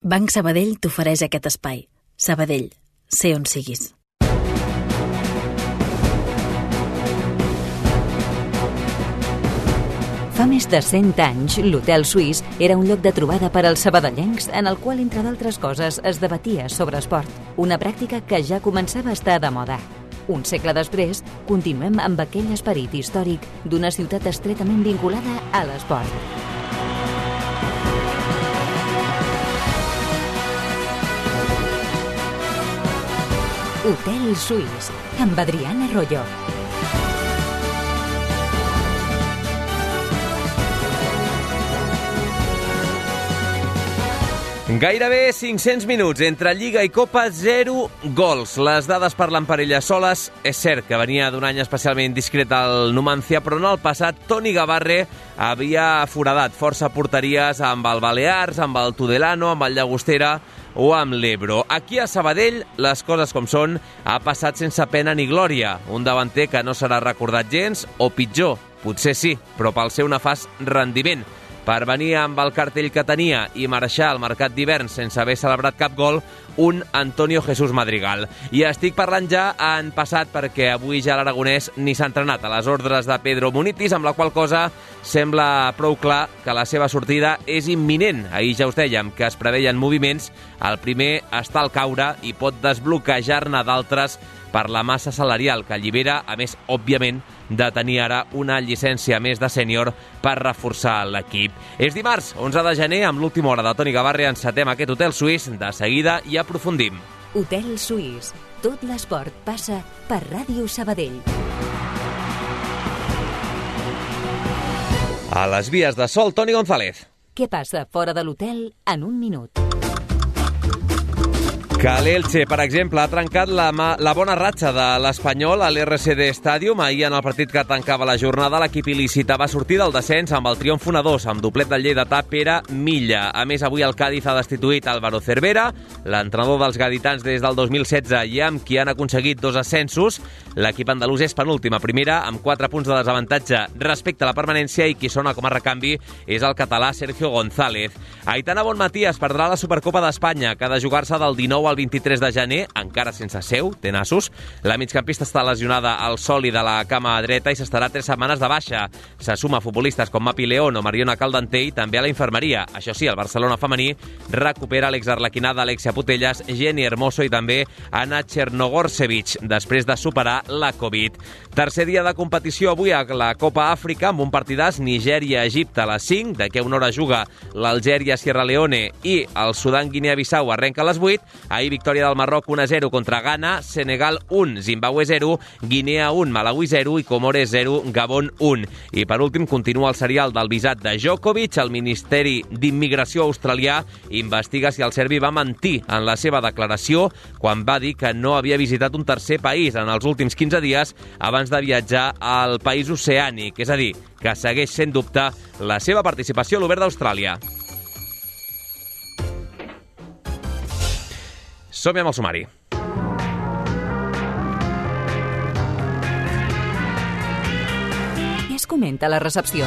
Banc Sabadell t'ofereix aquest espai. Sabadell, sé on siguis. Fa més de 100 anys, l'Hotel Suís era un lloc de trobada per als sabadellencs en el qual, entre d'altres coses, es debatia sobre esport, una pràctica que ja començava a estar de moda. Un segle després, continuem amb aquell esperit històric d'una ciutat estretament vinculada a l'esport. Hotel Suís, amb Adriana Arroyo. Gairebé 500 minuts entre Lliga i Copa, 0 gols. Les dades parlen per elles soles. És cert que venia d'un any especialment discret al Numancia, però en el passat Toni Gavarre havia foradat força porteries amb el Balears, amb el Tudelano, amb el Llagostera o amb l'Ebro. Aquí a Sabadell, les coses com són, ha passat sense pena ni glòria. Un davanter que no serà recordat gens, o pitjor, potser sí, però pel seu nefast rendiment. Per venir amb el cartell que tenia i marxar al mercat d'hivern sense haver celebrat cap gol, un Antonio Jesús Madrigal. I estic parlant ja en passat perquè avui ja l'aragonès ni s'ha entrenat a les ordres de Pedro Munitis, amb la qual cosa sembla prou clar que la seva sortida és imminent. Ahir ja us dèiem que es preveien moviments, el primer està al caure i pot desbloquejar-ne d'altres per la massa salarial que allibera, a més, òbviament, de tenir ara una llicència més de sènior per reforçar l'equip. És dimarts, 11 de gener, amb l'última hora de Toni Gavarre, encetem aquest Hotel Suís. De seguida i aprofundim. Hotel Suís. Tot l'esport passa per Ràdio Sabadell. A les vies de sol, Toni González. Què passa fora de l'hotel en un minut? Que l'Elche, per exemple, ha trencat la bona ratxa de l'Espanyol a l'RCD Stadium. Ahir, en el partit que tancava la jornada, l'equip il·lícita va sortir del descens amb el triomf 1-2, amb doblet del lleidatà Pere Milla. A més, avui el Cádiz ha destituït Álvaro Cervera, l'entrenador dels gaditans des del 2016 i amb qui han aconseguit 2 ascensos. L'equip andalús és penúltim a primera, amb 4 punts de desavantatge respecte a la permanència, i qui sona com a recanvi és el català Sergio González. Aitana Bonmatías perdrà la Supercopa d'Espanya, que ha de jugar-se del 19 al 23 de gener, encara sense seu, té nassos. La migcampista està lesionada al sòlid de la cama dreta i s'estarà 3 setmanes de baixa. Se suma a futbolistes com Mapi León o Mariona Caldentey i també a la infermeria. Això sí, el Barcelona femení recupera l'exarlequinada Alexia Putellas, Jenny Hermoso i també Anna Chernogorsevic, després de superar la Covid. Tercer dia de competició avui a la Copa Àfrica, amb un partidàs Nigèria-Egipte a les 5, d'aquí a una hora juga l'Algèria-Sierra Leone i el Sudan-Guinea-Bissau arrenca a les 8. Ahir victòria del Marroc 1-0 contra Ghana, Senegal 1, Zimbabue 0, Guinea 1, Malawi 0 i Comores 0, Gabon 1. I per últim continua el serial del visat de Djokovic. El Ministeri d'Immigració australià investiga si el serbi va mentir en la seva declaració quan va dir que no havia visitat un tercer país en els últims 15 dies abans de viatjar al país oceànic, és a dir, que segueix sent dubte la seva participació a l'Obert d'Austràlia. Som-hi amb el sumari. Què es comenta a la recepció?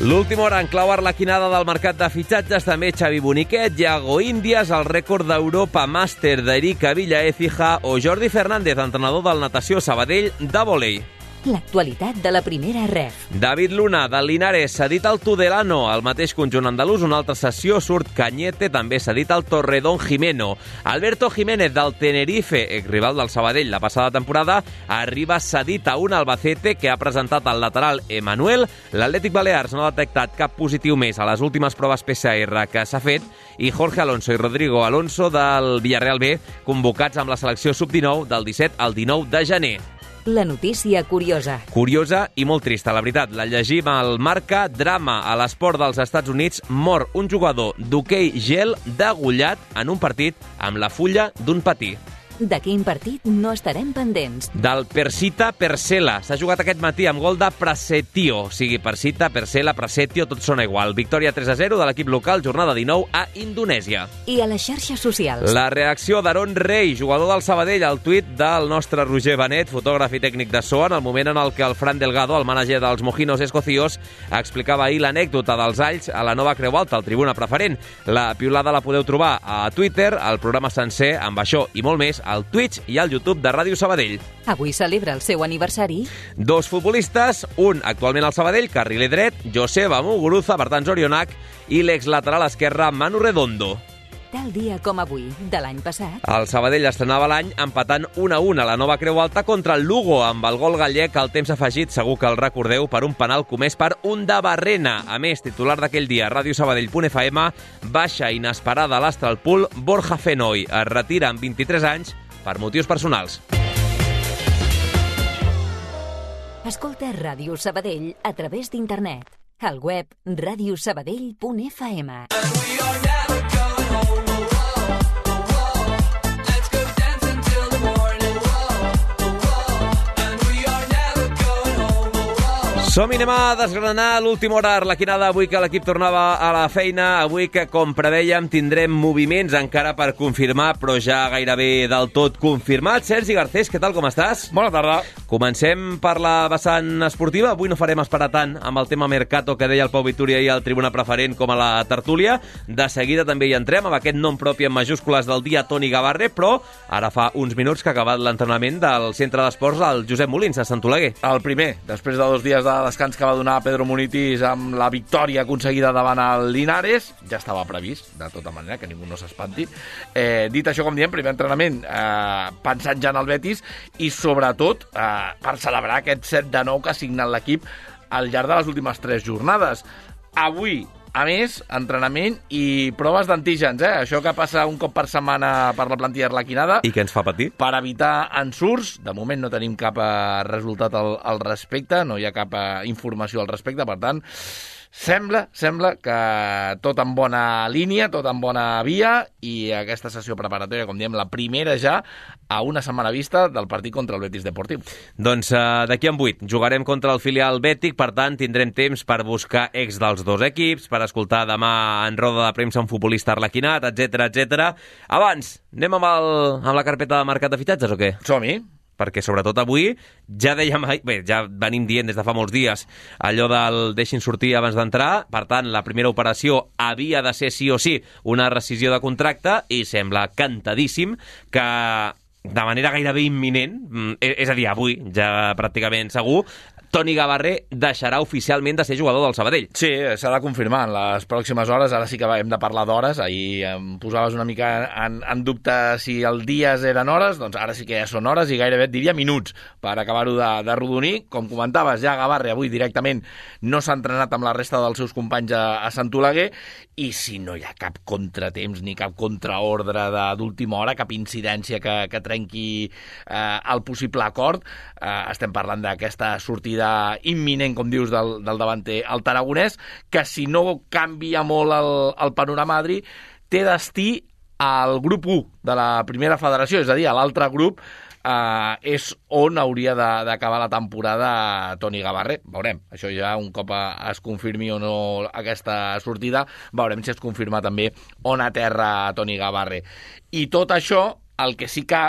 L'última hora en clau arlequinada del mercat de fitxatges, també Xavi Boniquet, Yago Índias, el rècord d'Europa Màster d'Erika Villaécija o Jordi Fernández, entrenador del Natació Sabadell de vòlei. L'actualitat de la primera ref. David Luna, del Linares, cedit al Tudelano. Al mateix conjunt andalús, una altra sessió, surt Cañete, també cedit al Torredón Jimeno. Alberto Jiménez, del Tenerife, exrival del Sabadell la passada temporada, arriba cedit a un Albacete que ha presentat el lateral Emanuel. L'Atlètic Balears no ha detectat cap positiu més a les últimes proves PCR que s'ha fet, i Jorge Alonso i Rodrigo Alonso del Villarreal B, convocats amb la selecció sub-19 del 17 al 19 de gener. La notícia curiosa. Curiosa i molt trista, la veritat. La llegim al Marca. Drama a l'esport dels Estats Units. Mor un jugador d'hoquei gel degollat en un partit amb la fulla d'un patí. De quin partit no estarem pendents? Del Persita Persela. S'ha jugat aquest matí amb gol de Prasetio. O sigui, Persita, Persela, Prasetio, tot sona igual. Victòria 3-0 de l'equip local, jornada 19 a Indonèsia. I a les xarxes socials. La reacció d'Aaron Rey, jugador del Sabadell, al tuit del nostre Roger Benet, fotògraf i tècnic de so, en el moment en el que el Fran Delgado, el mànager dels Mojinos Escocíos, explicava ahir l'anècdota dels alls a la nova Creu Alta, al Tribuna Preferent. La piulada la podeu trobar a Twitter, el programa sencer, amb això i molt més, al Twitch i al YouTube de Ràdio Sabadell. Avui celebra el seu aniversari. Dos futbolistes, un actualment al Sabadell, carriler dret, Joseba Muguruza, per tant Zorionak, i l'exlateral esquerre, Manu Redondo. Tal dia com avui, de l'any passat. El Sabadell estrenava l'any empatant 1-1 a la nova Creu Alta contra el Lugo, amb el gol gallec al temps afegit, segur que el recordeu, per un penal comès per un de Barrena. A més, titular d'aquell dia, radiosabadell.fm, baixa inesperada a l'Astralpool, Borja Fenoy es retira amb 23 anys per motius personals. Escolta Ràdio Sabadell a través d'internet. Al web radiosabadell.fm. Som-hi, anem a desgranar l'última hora arlequinada avui que l'equip tornava a la feina, avui que, com prevèiem, tindrem moviments encara per confirmar, però ja gairebé del tot confirmat. Sergi Garcés, què tal, com estàs? Bona tarda. Comencem per la vessant esportiva. Avui no farem esperar tant amb el tema Mercato que deia el Pau Vitúria i el Tribuna Preferent com a la tertúlia. De seguida també hi entrem amb aquest nom propi en majúscules del dia, Toni Gavarre, però ara fa uns minuts que ha acabat l'entrenament del centre d'esports al Josep Molins, a Sant Oleguer. El primer, després de 2 dies de descans que va donar Pedro Munitis amb la victòria aconseguida davant el Linares, ja estava previst, de tota manera, que ningú no s'espanti. Dit això, com diem, primer entrenament pensant ja en el Betis i sobretot per celebrar aquest 7-9 que ha signat l'equip al llarg de les últimes 3 jornades. Avui, a més, entrenament i proves d'antígens, això que passa un cop per setmana per la plantilla arlequinada. I què ens fa patir? Per evitar ensurts. De moment no tenim cap resultat al respecte, no hi ha cap informació al respecte, per tant, sembla que tot en bona línia, tot en bona via, i aquesta sessió preparatòria, com diem, la primera ja a una setmana vista del partit contra el Betis Deportiu. Doncs d'aquí en 8 jugarem contra el filial Bètic, per tant tindrem temps per buscar ex dels dos equips, per escoltar demà en roda de premsa un futbolista arlequinat, etc. Abans, anem amb la carpeta de mercat de fitxatges o què? Som-hi. Perquè sobretot avui ja dèiem, ja venim dient des de fa molts dies allò del deixin sortir abans d'entrar, per tant la primera operació havia de ser sí o sí una rescissió de contracte i sembla cantadíssim que de manera gairebé imminent, és a dir, avui ja pràcticament segur, Toni Gavarre deixarà oficialment de ser jugador del Sabadell. Sí, s'ha de confirmar en les pròximes hores. Ara sí que hem de parlar d'hores. Ahir em posaves una mica en dubte si els dies eren hores, doncs ara sí que ja són hores i gairebé et diria minuts per acabar-ho de rodonir. Com comentaves, ja Gavarre avui directament no s'ha entrenat amb la resta dels seus companys a Sant Oleguer, i si no hi ha cap contratemps ni cap contraordre d'última hora, cap incidència que trenqui el possible acord, estem parlant d'aquesta sortida imminent, com dius, del davanter el taragonès, que si no canvia molt el panorama, Adri, té destí al grup 1 de la primera federació, és a dir, a l'altre grup és on hauria d'acabar la temporada Toni Gavarre. Veurem, això ja un cop es confirmi o no aquesta sortida, veurem si es confirma també on aterra Toni Gavarre. I tot això, el que sí que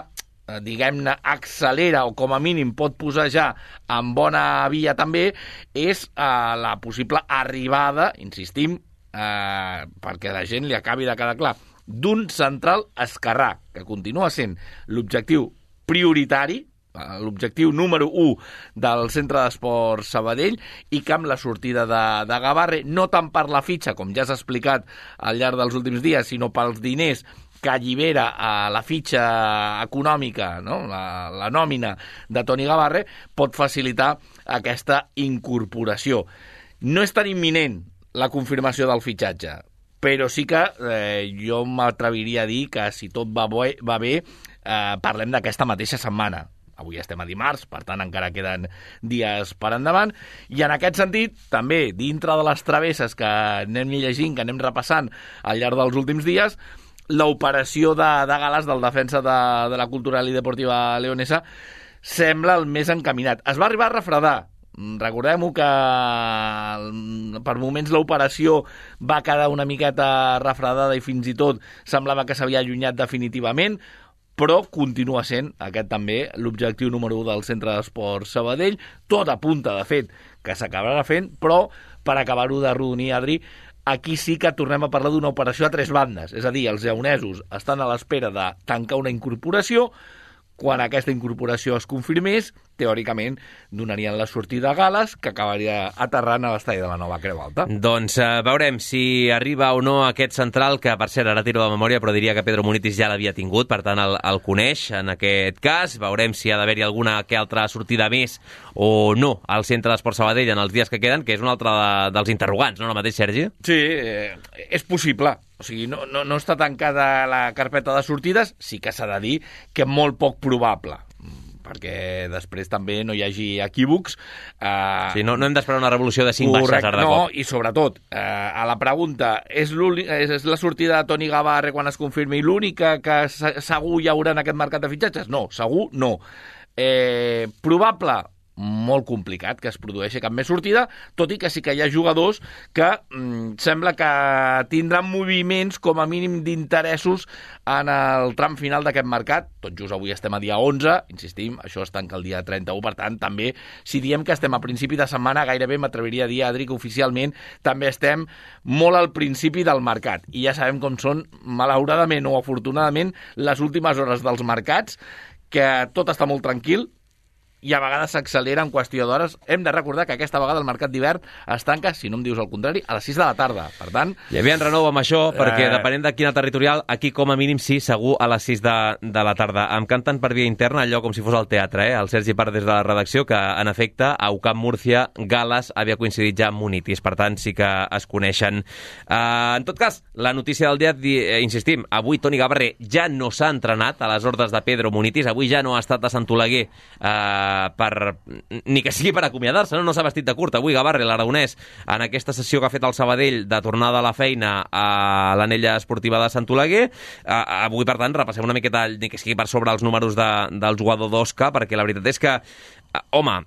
diguem-ne, accelera o com a mínim pot posar ja en bona via també, és la possible arribada, insistim, perquè a la gent li acabi de quedar clar, d'un central esquerrà, que continua sent l'objectiu prioritari, l'objectiu número 1 del Centre d'Esports Sabadell, i que amb la sortida de Gavarre, no tant per la fitxa, com ja s'ha explicat al llarg dels últims dies, sinó pels diners que allibera a la fitxa econòmica, no? la nòmina de Toni Gavarre, pot facilitar aquesta incorporació. No és tan imminent la confirmació del fitxatge, però sí que jo m'atreviria a dir que si tot va bé, parlem d'aquesta mateixa setmana. Avui estem a dimarts, per tant encara queden dies per endavant, i en aquest sentit, també dintre de les travesses que anem llegint, que anem repassant al llarg dels últims dies, l'operació de Gales del defensa de la Cultural i Deportiva Leonesa sembla el més encaminat. Es va arribar a refredar. Recordem-ho que per moments l'operació va quedar una miqueta refredada i fins i tot semblava que s'havia allunyat definitivament, però continua sent aquest també l'objectiu número 1 del Centre d'Esports Sabadell. Tot apunta, de fet, que s'acabarà fent, però per acabar-ho de rodonir, Adri, aquí sí que tornem a parlar d'una operació a 3 bandes. És a dir, els lleonesos estan a l'espera de tancar una incorporació. Quan aquesta incorporació es confirmés, teòricament donarien la sortida a Gales, que acabaria aterrant a l'estadi de la Nova Creu Alta. Doncs veurem si arriba o no aquest central, que per cert ara tiro de memòria, però diria que Pedro Munitis ja l'havia tingut, per tant el coneix en aquest cas. Veurem si ha d'haver-hi alguna que altra sortida més o no al Centre d'Esports Sabadell en els dies que queden, que és un altre dels interrogants, no el mateix, Sergi? Sí, és possible. O sigui, no està tancada la carpeta de sortides, sí que s'ha de dir que molt poc probable, perquè després també no hi hagi equívocs. Sí, no hem d'esperar una revolució de 5 baixes ara de cop. No, i sobretot, a la pregunta, és la sortida de Toni Gavarre quan es confirmi l'única que segur hi haurà en aquest mercat de fitxatges? No, segur no. Probable? Molt complicat que es produeixi cap més sortida, tot i que sí que hi ha jugadors que sembla que tindran moviments com a mínim d'interessos en el tram final d'aquest mercat. Tot just avui estem a dia 11, insistim, això es tanca el dia 31, per tant, també, si diem que estem a principi de setmana, gairebé m'atreviria a dir, Adri, que oficialment també estem molt al principi del mercat. I ja sabem com són, malauradament o afortunadament, les últimes hores dels mercats, que tot està molt tranquil, i a vegades s'accelera en qüestió d'hores. Hem de recordar que aquesta vegada el mercat d'hivern es tanca, si no em dius el contrari, a les 6 de la tarda. Per tant... Hi havia en renou amb això, perquè depenent de quina territorial, aquí com a mínim sí, segur a les 6 de la tarda. Em canten per via interna allò com si fos al teatre, el Sergi Part des de la redacció, que en efecte a UCAM Múrcia, Gales havia coincidit ja amb Munitis, per tant sí que es coneixen. En tot cas, la notícia del dia, insistim, avui Toni Gavarre ja no s'ha entrenat a les ordres de Pedro Munitis, avui ja no ha estat a Sant Oleguer ni que sigui per acomiadar-se, no s'ha vestit de curt avui Gavarre, l'aragonès, en aquesta sessió que ha fet el Sabadell de tornada a la feina a l'anella esportiva de Sant Oleguer. Avui, per tant, repassem una miqueta, ni que sigui per sobre els números del jugador d'Osca, perquè la veritat és que home,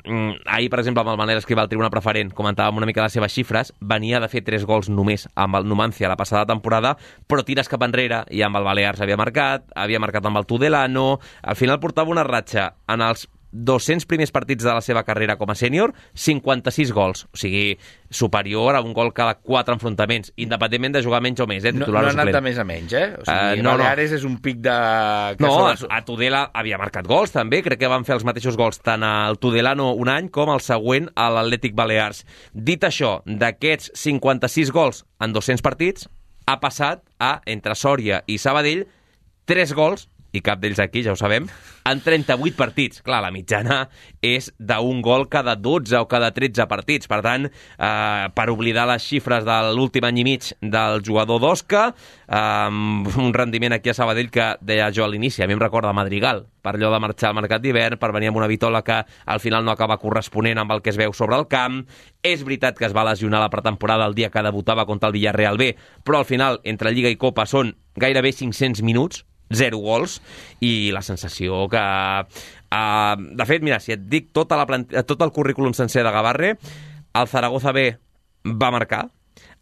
ahir, per exemple, amb el Manel Escrivà al Tribuna Preferent, comentàvem una mica les seves xifres, venia de fer 3 gols només amb el Numancia la passada temporada, però tires cap enrere, i amb el Balears havia marcat amb el Tudelano, al final portava una ratxa en els 200 primers partits de la seva carrera com a sènior, 56 gols, o sigui, superior a un gol cada 4 enfrontaments, independentment de jugar menys o més, titular o suplent. No ha anat de més a menys, O sigui, Baleares és un pic de... No, a Tudela havia marcat gols, també, crec que van fer els mateixos gols tant al Tudelano un any com el següent a l'Atlètic Balears. Dit això, d'aquests 56 gols en 200 partits, ha passat a, entre Sòria i Sabadell, 3 gols, i cap d'ells aquí, ja ho sabem, en 38 partits. Clar, la mitjana és d'un gol cada 12 o cada 13 partits. Per tant, per oblidar les xifres de l'últim any i mig del jugador d'Osca, un rendiment aquí a Sabadell que deia jo a l'inici, a mi em recorda Madrigal, per allò de marxar al mercat d'hivern, per venir amb una vitola que al final no acaba corresponent amb el que es veu sobre el camp. És veritat que es va lesionar la pretemporada el dia que debutava contra el Villarreal B, però al final, entre Lliga i Copa, són gairebé 500 minuts, 0 gols, i la sensació que... de fet, mira, si et dic tot el currículum sencer de Gavarre, el Zaragoza B va marcar,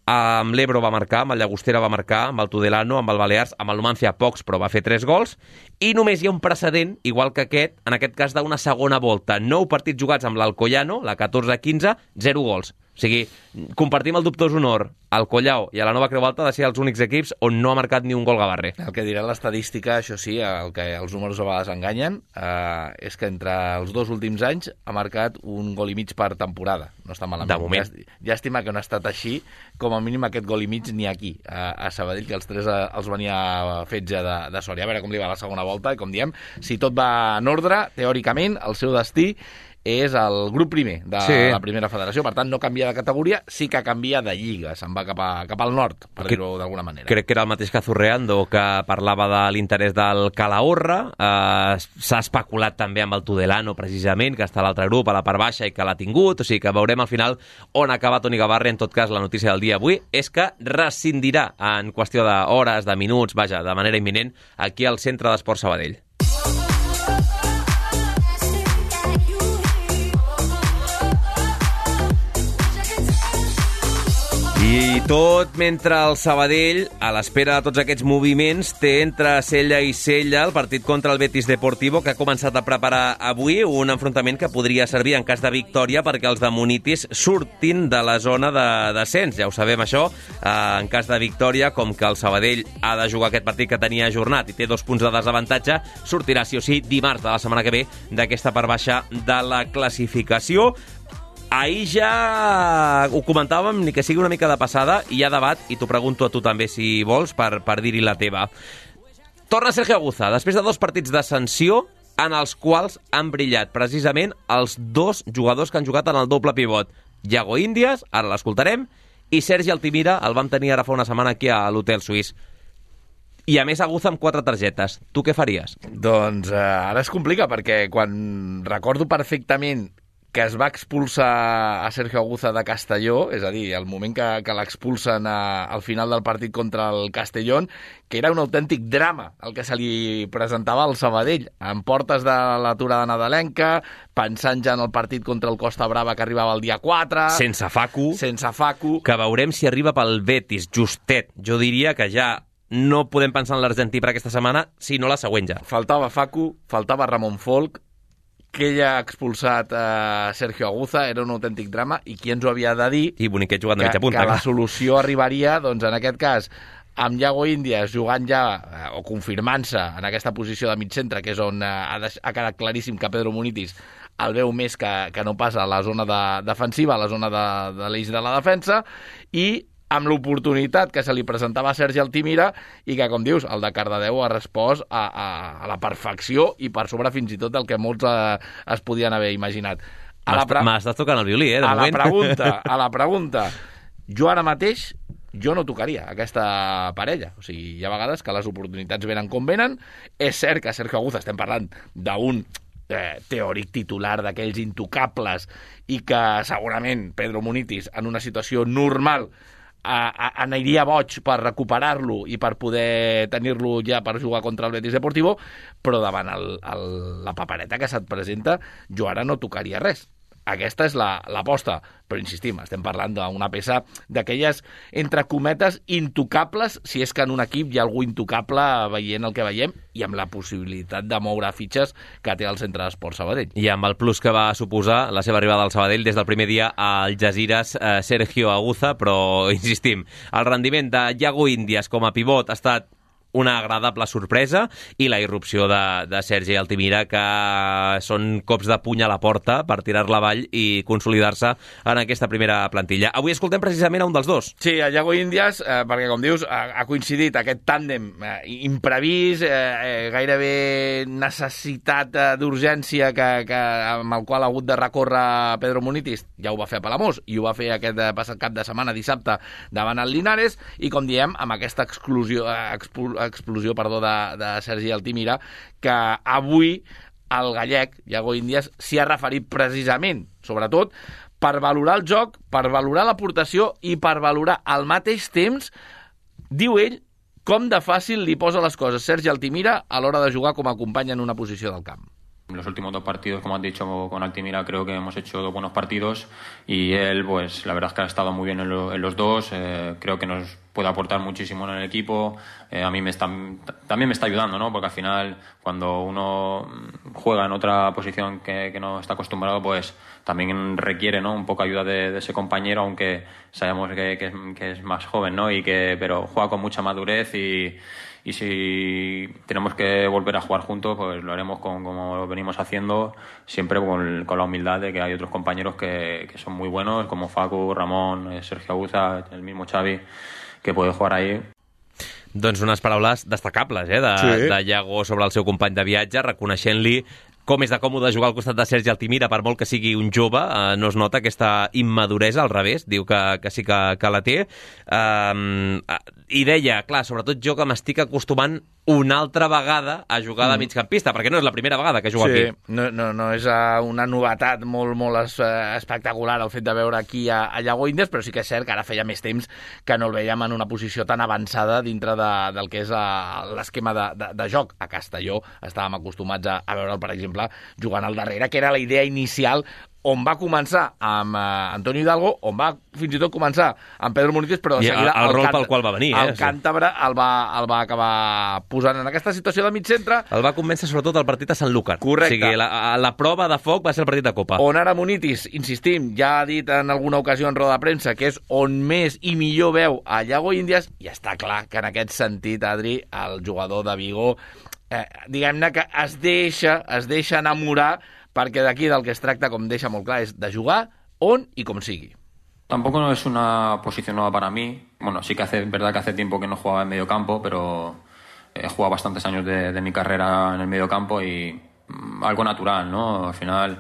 amb l'Ebro va marcar, amb el Llagostera va marcar, amb el Tudelano, amb el Balears, amb el Numancia pocs, però va fer 3 gols, i només hi ha un precedent, igual que aquest, en aquest cas d'una segona volta. 9 partits jugats amb l'Alcoyano, la 14-15, 0 gols. O sigui, compartim el dubtós honor al Collao i a la Nova Creu Alta de ser els únics equips on no ha marcat ni un gol Gavarre. El que dirà l'estadística, això sí, el que els números a vegades enganyen, és que entre els 2 últims anys ha marcat un gol i mig per temporada. No està malament. De moment. Llàstima que no ha estat així, com a mínim aquest gol i mig ni aquí, a Sabadell, que els 3 els venia fets ja de Sòria. A veure com li va la segona volta, i com diem, si tot va en ordre, teòricament, el seu destí és el grup primer de la primera federació, per tant no canvia de categoria, sí que canvia de lliga, se'n va cap al nord, per dir-ho d'alguna manera. Crec que era el mateix que Zurreando, que parlava de l'interès del Calahorra, s'ha especulat també amb el Tudelano, precisament, que està a l'altre grup, a la part baixa, i que l'ha tingut, o sigui que veurem al final on acaba Toni Gavarri. En tot cas, la notícia del dia avui és que rescindirà en qüestió d'hores, de minuts, vaja, de manera imminent, aquí al Centre d'Esports Sabadell. I tot mentre el Sabadell, a l'espera de tots aquests moviments, té entre cella i cella el partit contra el Betis Deportivo, que ha començat a preparar avui un enfrontament que podria servir en cas de victòria perquè els de Munitis surtin de la zona de descens. Ja ho sabem, això. En cas de victòria, com que el Sabadell ha de jugar aquest partit que tenia ajornat i té 2 punts de desavantatge, sortirà sí o sí dimarts de la setmana que ve d'aquesta part baixa de la classificació. Ahir ja ho comentàvem, ni que sigui una mica de passada, i hi ha debat, i t'ho pregunto a tu també si vols, per dir-hi la teva. Torna Sergio Aguza, després de 2 partits de sanció en els quals han brillat precisament els 2 jugadors que han jugat en el doble pivot. Iago Índias, ara l'escoltarem, i Sergi Altimira, el vam tenir ara fa una setmana aquí a l'Hotel Suís. I a més Aguza amb 4 targetes. Tu què faries? Doncs ara es complica, perquè quan recordo perfectament que es va expulsar a Sergio Aguza de Castelló, és a dir, el moment que l'expulsen al final del partit contra el Castellón, que era un autèntic drama el que se li presentava al Sabadell, en portes de l'aturada nadalenca, pensant ja en el partit contra el Costa Brava que arribava el dia 4... Sense Facu. Que veurem si arriba pel Betis, justet. Jo diria que ja no podem pensar en l'Argentí per aquesta setmana, sinó la següent ja. Faltava Facu, faltava Ramon Folk, que ell ha expulsat Sergio Aguza, era un autèntic drama, i qui ens ho havia de dir i Boniquet jugant de mitja punta, que la solució arribaria, doncs en aquest cas, amb Iago Índias jugant ja, o confirmant-se en aquesta posició de mig centre, que és on ha quedat claríssim que Pedro Munitis el veu més que no passa a la zona defensiva, a la zona de l'eix de la defensa, i amb l'oportunitat que se li presentava a Sergi Altimira i que, com dius, el de Cardedeu ha respost a la perfecció i per sobre fins i tot el que molts es podien haver imaginat. M'estàs tocant el violí, de moment. A la pregunta, jo ara mateix no tocaria aquesta parella. O sigui, hi ha vegades que les oportunitats venen com venen. És cert que Sergio Aguza estem parlant d'un teòric titular d'aquells intocables i que segurament Pedro Munitis en una situació normal aniria boig per recuperar-lo i per poder tenir-lo ja per jugar contra el Betis Deportivo, però davant la papereta que se't presenta, jo ara no tocaria res. Aquesta és l'aposta, però insistim, estem parlant d'una peça d'aquelles, entre cometes, intocables, si és que en un equip hi ha algú intocable veient el que veiem i amb la possibilitat de moure fitxes que té el Centre d'Esports Sabadell. I amb el plus que va suposar la seva arribada al Sabadell des del primer dia al Algesires, Sergio Aguza, però insistim, el rendiment de Iago Índias com a pivot ha estat una agradable sorpresa, i la irrupció de Sergi Altimira, que són cops de puny a la porta per tirar-la avall i consolidar-se en aquesta primera plantilla. Avui escoltem precisament a un dels dos. Sí, a Iago Índias, perquè, com dius, ha coincidit aquest tàndem imprevist, gairebé necessitat d'urgència amb el qual ha hagut de recórrer Pedro Munitis. Ja ho va fer a Palamós i ho va fer aquest passat cap de setmana, dissabte, davant el Linares, i, com diem, amb aquesta explosió de Sergi Altimira, que avui el gallec, Iago Índias, s'hi ha referit precisament, sobretot, per valorar el joc, per valorar l'aportació i per valorar al mateix temps, diu ell, com de fàcil li posa les coses Sergi Altimira a l'hora de jugar com a company en una posició del camp. En los últimos 2 partidos, como has dicho con Altimira, creo que hemos hecho 2 buenos partidos y él, pues la verdad es que ha estado muy bien en los 2. Creo que nos puede aportar muchísimo en el equipo. A mí también me está ayudando, ¿no? Porque al final, cuando uno juega en otra posición que no está acostumbrado, pues también requiere, ¿no? Un poco ayuda de ese compañero, aunque sabemos que es más joven, ¿no? Pero juega con mucha madurez y si tenemos que volver a jugar juntos, pues lo haremos como lo venimos haciendo, siempre con la humildad de que hay otros compañeros que son muy buenos, como Facu, Ramon, Sergio Aguza, el mismo Xavi, que puede jugar ahí. Doncs unes paraules destacables, de Iago sobre el seu company de viatge, reconeixent-li com és de còmode jugar al costat de Sergi Altimira, per molt que sigui un jove, no es nota aquesta immaduresa, al revés, diu que sí que la té. I deia, clar, sobretot jo que m'estic acostumant una altra vegada a jugar de migcampista, perquè no és la primera vegada que jugo aquí. No és una novetat molt espectacular el fet de veure aquí a Iago Índias, però sí que és cert que ara feia més temps que no el veiem en una posició tan avançada dintre del que és l'esquema de joc. A Castelló estàvem acostumats a veure'l, per exemple, jugant al darrere, que era la idea inicial, on va començar amb Antonio Hidalgo, on va fins i tot començar amb Pedro Muniz, però de seguida el rol pel qual va venir. El càntabre el va acabar posant en aquesta situació de mig centre. El va convèncer sobretot el partit a Sanlúcar. Correcte. O sigui, la prova de foc va ser el partit de Copa. On ara Muniz, insistim, ja ha dit en alguna ocasió en roda de premsa que és on més i millor veu a Iago Índias, i està clar que en aquest sentit, Adri, el jugador de Vigo, diguem-ne que es deixa enamorar, perquè d'aquí del que es tracta, com deixa molt clar, és de jugar on i com sigui. Tampoco no es una posición nueva para mí. Bueno, sí que es verdad que hace tiempo que no jugaba en medio campo, pero he jugado bastantes años de mi carrera en el medio campo y algo natural, ¿no? Al final,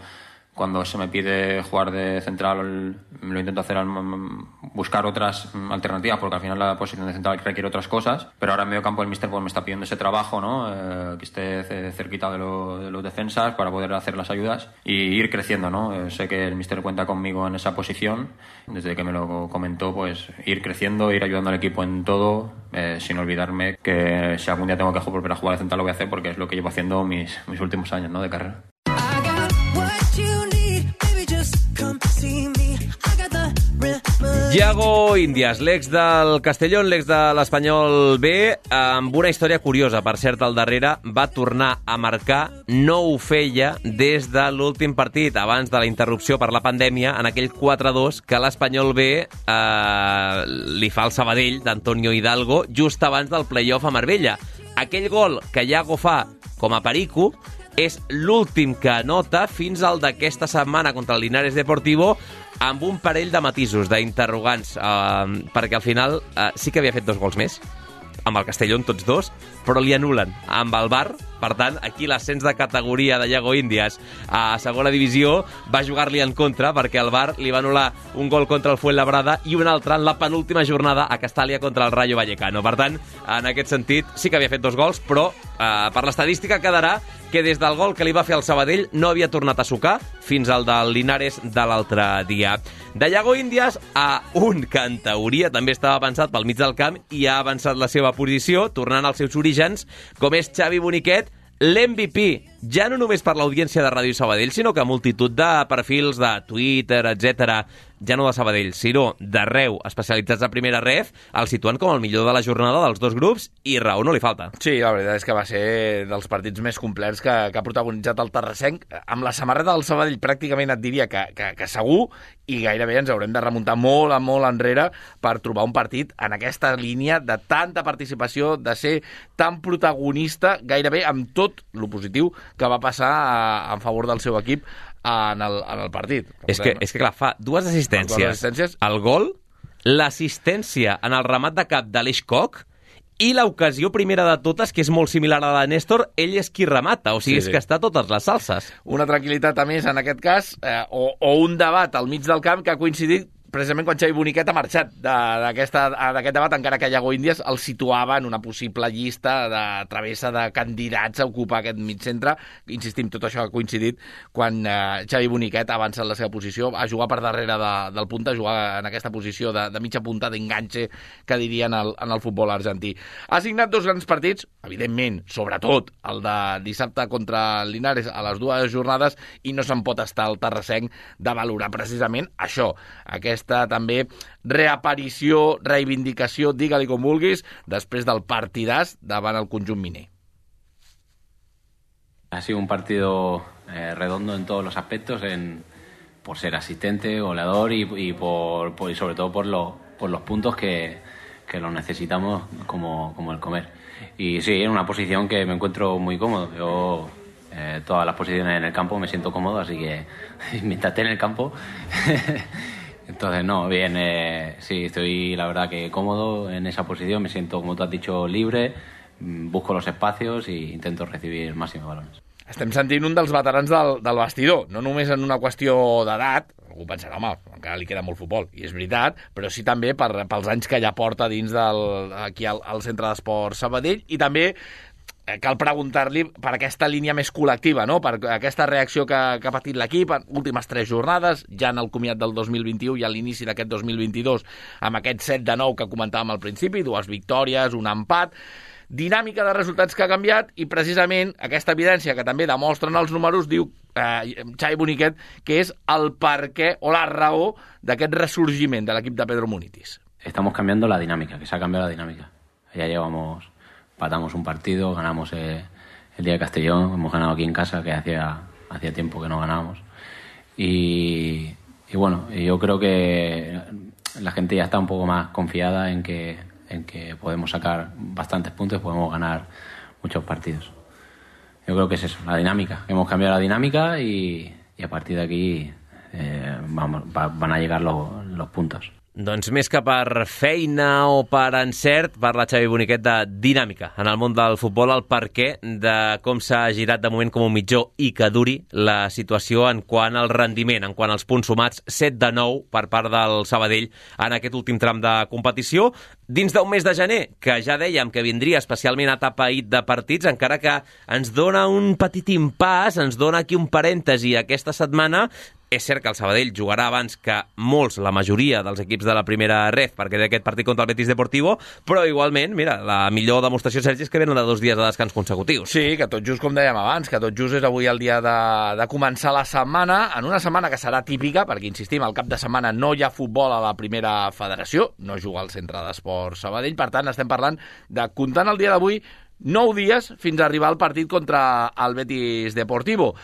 cuando se me pide jugar de central, lo intento hacer buscar otras alternativas, porque al final la posición de central requiere otras cosas, pero ahora en medio campo el míster pues me está pidiendo ese trabajo, ¿no? Que esté cerquita de los defensas para poder hacer las ayudas y ir creciendo, ¿no? Sé que el míster cuenta conmigo en esa posición, desde que me lo comentó, pues ir creciendo, ir ayudando al equipo en todo, sin olvidarme que si algún día tengo que volver a jugar de central lo voy a hacer, porque es lo que llevo haciendo mis últimos años, ¿no? De carrera. Iago Índias, l'ex del Castellón, l'ex de l'Espanyol B, amb una història curiosa, per cert, al darrere, va tornar a marcar, no ho feia des de l'últim partit, abans de la interrupció per la pandèmia, en aquell 4-2 que l'Espanyol B li fa al Sabadell d'Antonio Hidalgo just abans del play-off a Marbella. Aquell gol que Iago fa com a perico és l'últim que anota fins al d'aquesta setmana contra el Linares Deportivo, amb un parell de matisos, d'interrogants, perquè al final sí que havia fet 2 gols més, amb el Castellón tots 2, però li anulen amb el VAR. Per tant, aquí l'ascens de categoria de Iago Índias a segona divisió va jugar-li en contra, perquè el VAR li va anul·lar un gol contra el Fuenlabrada i un altre en la penúltima jornada a Castàlia contra el Rayo Vallecano. Per tant, en aquest sentit, sí que havia fet 2 gols, però per l'estadística quedarà que des del gol que li va fer al Sabadell no havia tornat a sucar fins al del Linares de l'altre dia. De Iago Índias a un que en teoria també estava pensat pel mig del camp i ha avançat la seva posició, tornant als seus orígens, com és Xavi Boniquet, l'MVP, ja no només per l'audiència de Ràdio Sabadell, sinó que multitud de perfils de Twitter, etc., ja no de Sabadell, sinó d'arreu, especialitzats a primera ref, el situen com el millor de la jornada dels dos grups, i raó no li falta. Sí, la veritat és que va ser dels partits més complets que ha protagonitzat el terrassenc. Amb la samarreta del Sabadell pràcticament et diria que segur, i gairebé ens haurem de remuntar molt enrere per trobar un partit en aquesta línia de tanta participació, de ser tan protagonista, gairebé amb tot lo positiu que va passar en favor del seu equip en el partit. És que clar, fa 2 assistències. El gol, l'assistència en el remat de cap d'Aleix Koch i l'ocasió primera de totes, que és molt similar a la de Néstor, ell és qui remata, o sigui, és que està a totes les salses. Una tranquil·litat a més en aquest cas, o un debat al mig del camp que ha coincidit precisament quan Xavi Boniquet ha marxat d'aquest debat, encara que Iago Índias el situava en una possible llista de travessa de candidats a ocupar aquest mig centre. Insistim, tot això ha coincidit quan Xavi Boniquet ha avançat la seva posició, a jugar per darrere del punta, a jugar en aquesta posició de mitja punta, d'enganxe, que dirien en el futbol argentí. Ha signat 2 grans partits, evidentment, sobretot el de dissabte contra el Linares a les 2 jornades, i no se'n pot estar el terrassenc de valorar precisament això, aquesta també reaparició, reivindicació, digue-li com vulguis, després del partidàs davant el conjunt miner. Ha sido un partido redondo en todos los aspectos, por ser asistente, goleador y sobre todo por los puntos que los necesitamos como el comer. Y sí, en una posición que me encuentro muy cómodo. Yo todas las posiciones en el campo me siento cómodo, así que mientras esté en el campo... Entonces, no, bien, sí, estoy la verdad que cómodo en esa posición, me siento, como tú has dicho, libre, busco los espacios e intento recibir máximos balones. estem sentint un dels veterans del vestidor, no només en una qüestió d'edat, algú pensarà, home, encara li queda molt futbol, i és veritat, però sí també pels anys que ja porta dins aquí al Centre d'Esport Sabadell, i també cal preguntar-li per aquesta línia més col·lectiva, no? Per aquesta reacció que ha patit l'equip en últimes 3 jornades, ja en el comiat del 2021 i a l'inici d'aquest 2022, amb aquest 7-9 que comentàvem al principi, 2 victòries, un empat, dinàmica de resultats que ha canviat, i precisament aquesta evidència que també demostren els números diu Xavi Boniquet que és el perquè o la raó d'aquest ressurgiment de l'equip de Pedro Munitis. Estamos cambiando la dinámica, que se ha cambiado la dinámica. Ya empatamos un partido, ganamos el día de Castellón, hemos ganado aquí en casa, que hacía tiempo que no ganábamos. Y bueno, yo creo que la gente ya está un poco más confiada en que podemos sacar bastantes puntos, podemos ganar muchos partidos. Yo creo que es eso, la dinámica. Hemos cambiado la dinámica y a partir de aquí van a llegar los puntos. Doncs més que per feina o per encert, parla Xavi Boniquet de dinàmica en el món del futbol, el perquè de com s'ha girat de moment com un mitjó i que duri la situació en quant al rendiment, en quant als punts sumats, 7-9 per part del Sabadell en aquest últim tram de competició, dins d'un mes de gener, que ja dèiem que vindria especialment atapeït de partits, encara que ens dona un petit impàs, ens dona aquí un parèntesi aquesta setmana. És cert que el Sabadell jugarà abans que molts, la majoria dels equips de la primera ref, perquè té aquest partit contra el Betis Deportivo, però igualment, mira, la millor demostració, Sergi, és que venen de 2 dies de descans consecutius. Sí, que tot just, com dèiem abans, que tot just és avui el dia de començar la setmana, en una setmana que serà típica, perquè, insistim, al cap de setmana no hi ha futbol a la primera federació, no juga al Centre d'Esport Sabadell, per tant, estem parlant de, comptant el dia d'avui, 9 dies fins a arribar al partit contra el Betis Deportivo.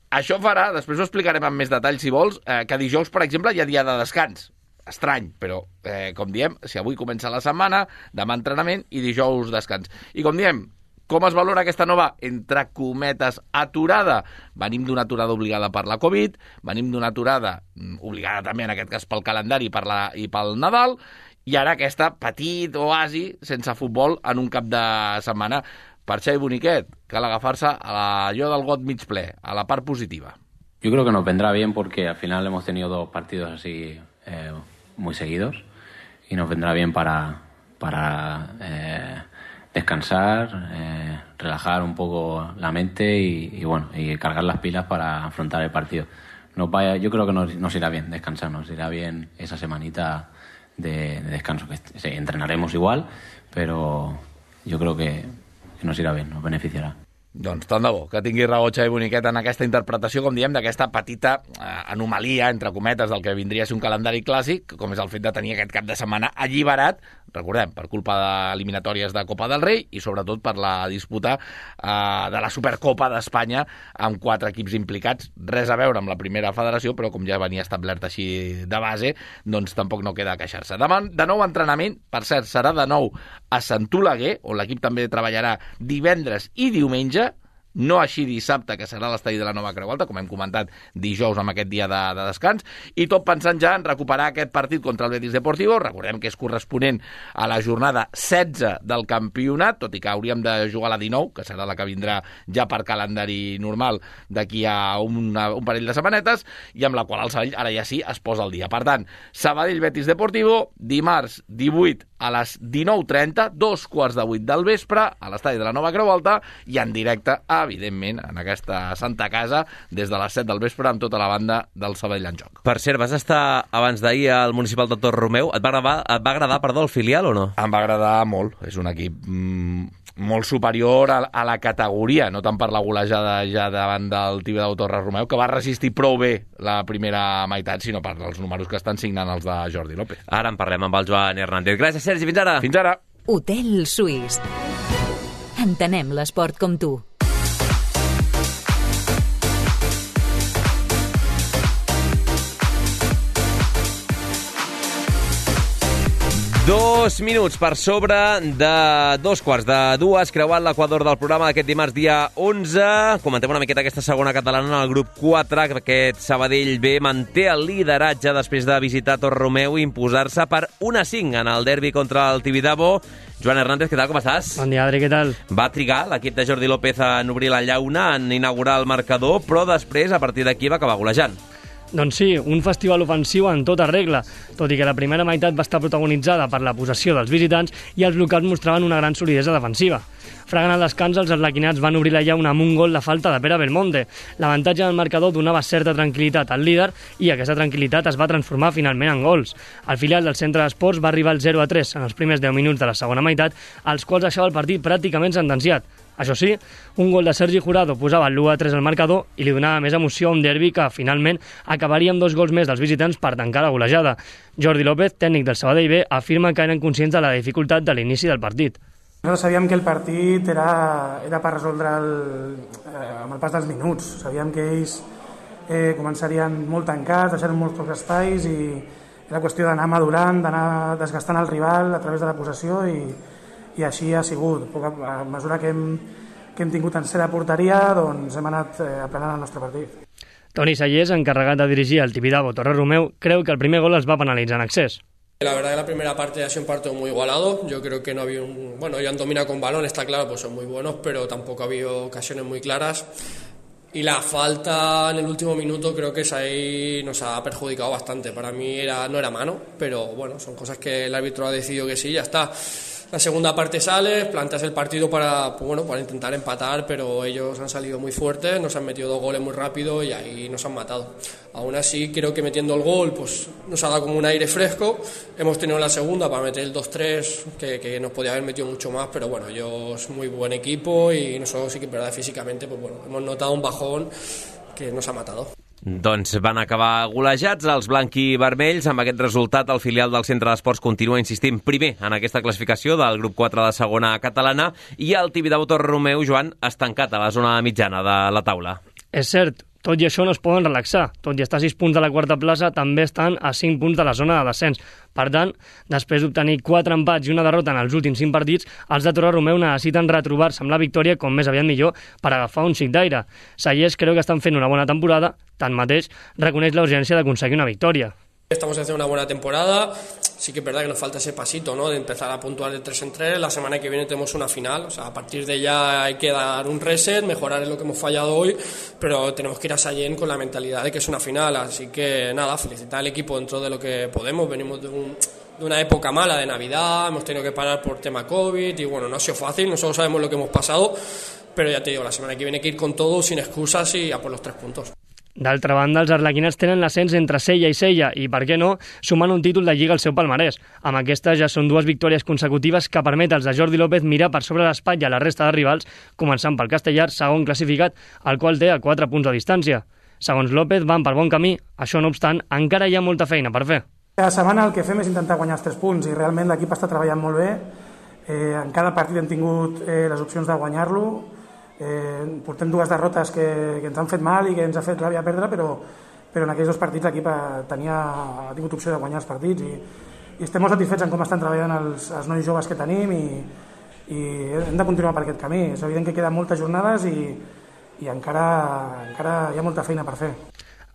Això farà, després ho explicarem amb més detall si vols, que dijous, per exemple, hi ha dia de descans. Estrany, però, com diem, si avui comença la setmana, demà entrenament i dijous descans. I com diem, com es valora aquesta nova, entre cometes, aturada? Venim d'una aturada obligada per la Covid, venim d'una aturada obligada també, en aquest cas, pel calendari i pel Nadal, i ara aquesta petit oasi sense futbol en un cap de setmana. Per Xavi Boniquet, cal agafar-se a allò del got mig ple, a la part positiva. Yo creo que nos vendrá bien porque al final hemos tenido 2 partidos así muy seguidos y nos vendrá bien para descansar, relajar un poco la mente y cargar las pilas para afrontar el partido. Yo creo que nos irá bien descansar, nos irá bien esa semanita de descanso. Que entrenaremos igual, pero yo creo que nos irà bé, nos beneficiarà. Doncs tant de bo que tingui raó Xavi Boniquet en aquesta interpretació, com diem, d'aquesta petita anomalia, entre cometes, del que vindria a ser un calendari clàssic, com és el fet de tenir aquest cap de setmana alliberat, recordem, per culpa d'eliminatòries de Copa del Rei i sobretot per la disputa de la Supercopa d'Espanya amb 4 equips implicats. Res a veure amb la primera federació, però com ja venia establert així de base, doncs tampoc no queda a queixar-se. Demà, de nou entrenament, per cert, serà de nou a Sant Oleguer, on l'equip també treballarà divendres i diumenge, no així dissabte, que serà l'estadi de la Nova Creu Alta, com hem comentat dijous amb aquest dia de descans, i tot pensant ja en recuperar aquest partit contra el Betis Deportivo. Recordem que és corresponent a la jornada 16 del campionat, tot i que hauríem de jugar la 19, que serà la que vindrà ja per calendari normal d'aquí a un parell de setmanetes, i amb la qual el Sabadell ara ja sí es posa al dia. Per tant, Sabadell-Betis Deportivo, dimarts 18 a les 19:30, 7:15 del vespre, a l'estadi de la Nova Creu Alta, i en directe, evidentment, en aquesta santa casa, des de les 7 del vespre, amb tota la banda del Sabadell en joc. Per cert, vas estar abans d'ahir al Municipal de Torromeu. Et va agradar, el filial o no? Em va agradar molt. És un equip molt superior a la categoria, no tant per la golejada ja davant del Tibidabo Torromeu, que va resistir prou bé la primera meitat, sinó per els números que estan signant els de Jordi López. Ara en parlem amb el Joan Hernández. Gràcies, Sergi. Fins ara. Fins ara. Hotel Suís. Entenem l'esport com tu. 2 minuts per sobre de 2:45, creuant l'equador del programa d'aquest dimarts dia 11. Comentem una miqueta aquesta segona catalana en el grup 4, que aquest Sabadell B manté el lideratge després de visitar Torreromeu i imposar-se per 1-5 en el derbi contra el Tibidabo. Joan Hernández, què tal, com estàs? Bon dia, Adri, què tal? Va trigar l'equip de Jordi López en obrir la llauna, en inaugurar el marcador, però després, a partir d'aquí, va acabar golejant. Doncs sí, un festival ofensiu en tota regla, tot i que la primera meitat va estar protagonitzada per la possessió dels visitants i els locals mostraven una gran solidesa defensiva. Fregant el descans, els arlequinats van obrir la llauna amb un gol de falta de Pere Belmonte. L'avantatge del marcador donava certa tranquil·litat al líder i aquesta tranquil·litat es va transformar finalment en gols. El filial del centre d'esports va arribar al 0-3 en els primers 10 minuts de la segona meitat, als quals deixava el partit pràcticament sentenciat. Això sí, un gol de Sergi Jurado posava el l'1-3 al marcador i li donava més emoció a un derbi que finalment acabaria amb 2 gols més dels visitants per tancar la golejada. Jordi López, tècnic del Sabadell B, afirma que eren conscients de la dificultat de l'inici del partit. Nosaltres sabíem que el partit era per resoldre amb el pas dels minuts. Sabíem que ells començarien molt tancats, deixant molts pocs espais i era qüestió d'anar madurant, d'anar desgastant el rival a través de la possessió i així ha sigut. A mesura que hem tingut en ser de porteria, doncs hem anat aplanant el nostre partit. Toni Sallés, encarregat de dirigir el Tibidabo Torreromeu, creu que el primer gol els va penalitzar en excés. La verdad que la primera parte ha sido un partido muy igualado. Yo creo que no había ellos han dominado con balón, está claro, pues son muy buenos, pero tampoco ha habido ocasiones muy claras. Y la falta en el último minuto creo que ahí nos ha perjudicado bastante. Para mí no era mano, pero bueno, son cosas que el árbitro ha decidido que sí, ya está. La segunda parte sales, planteas el partido para intentar empatar, pero ellos han salido muy fuertes, nos han metido 2 goles muy rápido y ahí nos han matado. Aún así, creo que metiendo el gol pues nos ha dado como un aire fresco. Hemos tenido la segunda para meter el 2-3, que nos podía haber metido mucho más, pero bueno, ellos muy buen equipo y nosotros sí que, verdad, físicamente, pues bueno, hemos notado un bajón que nos ha matado. Doncs van acabar golejats els blanc-i-vermells. Amb aquest resultat, el filial del Centre d'Esports continua insistint primer en aquesta classificació del grup 4 de segona catalana i el Tibidabo Torreromeu, Joan, estancat a la zona mitjana de la taula. És cert, tot i això no es poden relaxar. Tot i estar a 6 punts de la quarta plaça, també estan a 5 punts de la zona de descens. Per tant, després d'obtenir 4 empats i una derrota en els últims 5 partits, els de Torreromeu necessiten retrobar-se amb la victòria com més aviat millor per agafar un xic d'aire. Sallés creu que estan fent una bona temporada, tanmateix reconeix la urgència d'aconseguir una victòria. Estamos haciendo una buena temporada, sí que es verdad que nos falta ese pasito, ¿no?, de empezar a puntuar de 3 en 3, la semana que viene tenemos una final, o sea, a partir de ya hay que dar un reset, mejorar en lo que hemos fallado hoy, pero tenemos que ir a Sallent con la mentalidad de que es una final, así que nada, felicitar al equipo dentro de lo que podemos, venimos de una época mala de Navidad, hemos tenido que parar por tema COVID y bueno, no ha sido fácil, nosotros sabemos lo que hemos pasado, pero ya te digo, la semana que viene hay que ir con todo, sin excusas y a por los 3 puntos. D'altra banda, els arlequinats tenen l'ascens entre Sella i Sella i, per què no, sumant un títol de Lliga al seu palmarès. Amb aquestes ja són 2 victòries consecutives que permet als de Jordi López mirar per sobre l'espatlla a la resta de rivals, començant pel Castellar, segon classificat, el qual té a 4 punts de distància. Segons López, van per bon camí. Això, no obstant, encara hi ha molta feina per fer. Cada setmana el que fem és intentar guanyar els 3 punts i realment l'equip està treballant molt bé. En cada partit hem tingut les opcions de guanyar-lo. Portem 2 derrotes que ens han fet mal i que ens ha fet ràbia perdre, però en aquells 2 partits l'equip ha tingut opció de guanyar els partits i estem molt satisfets en com estan treballant els nois joves que tenim i hem de continuar per aquest camí. És evident que queden moltes jornades i encara hi ha molta feina per fer.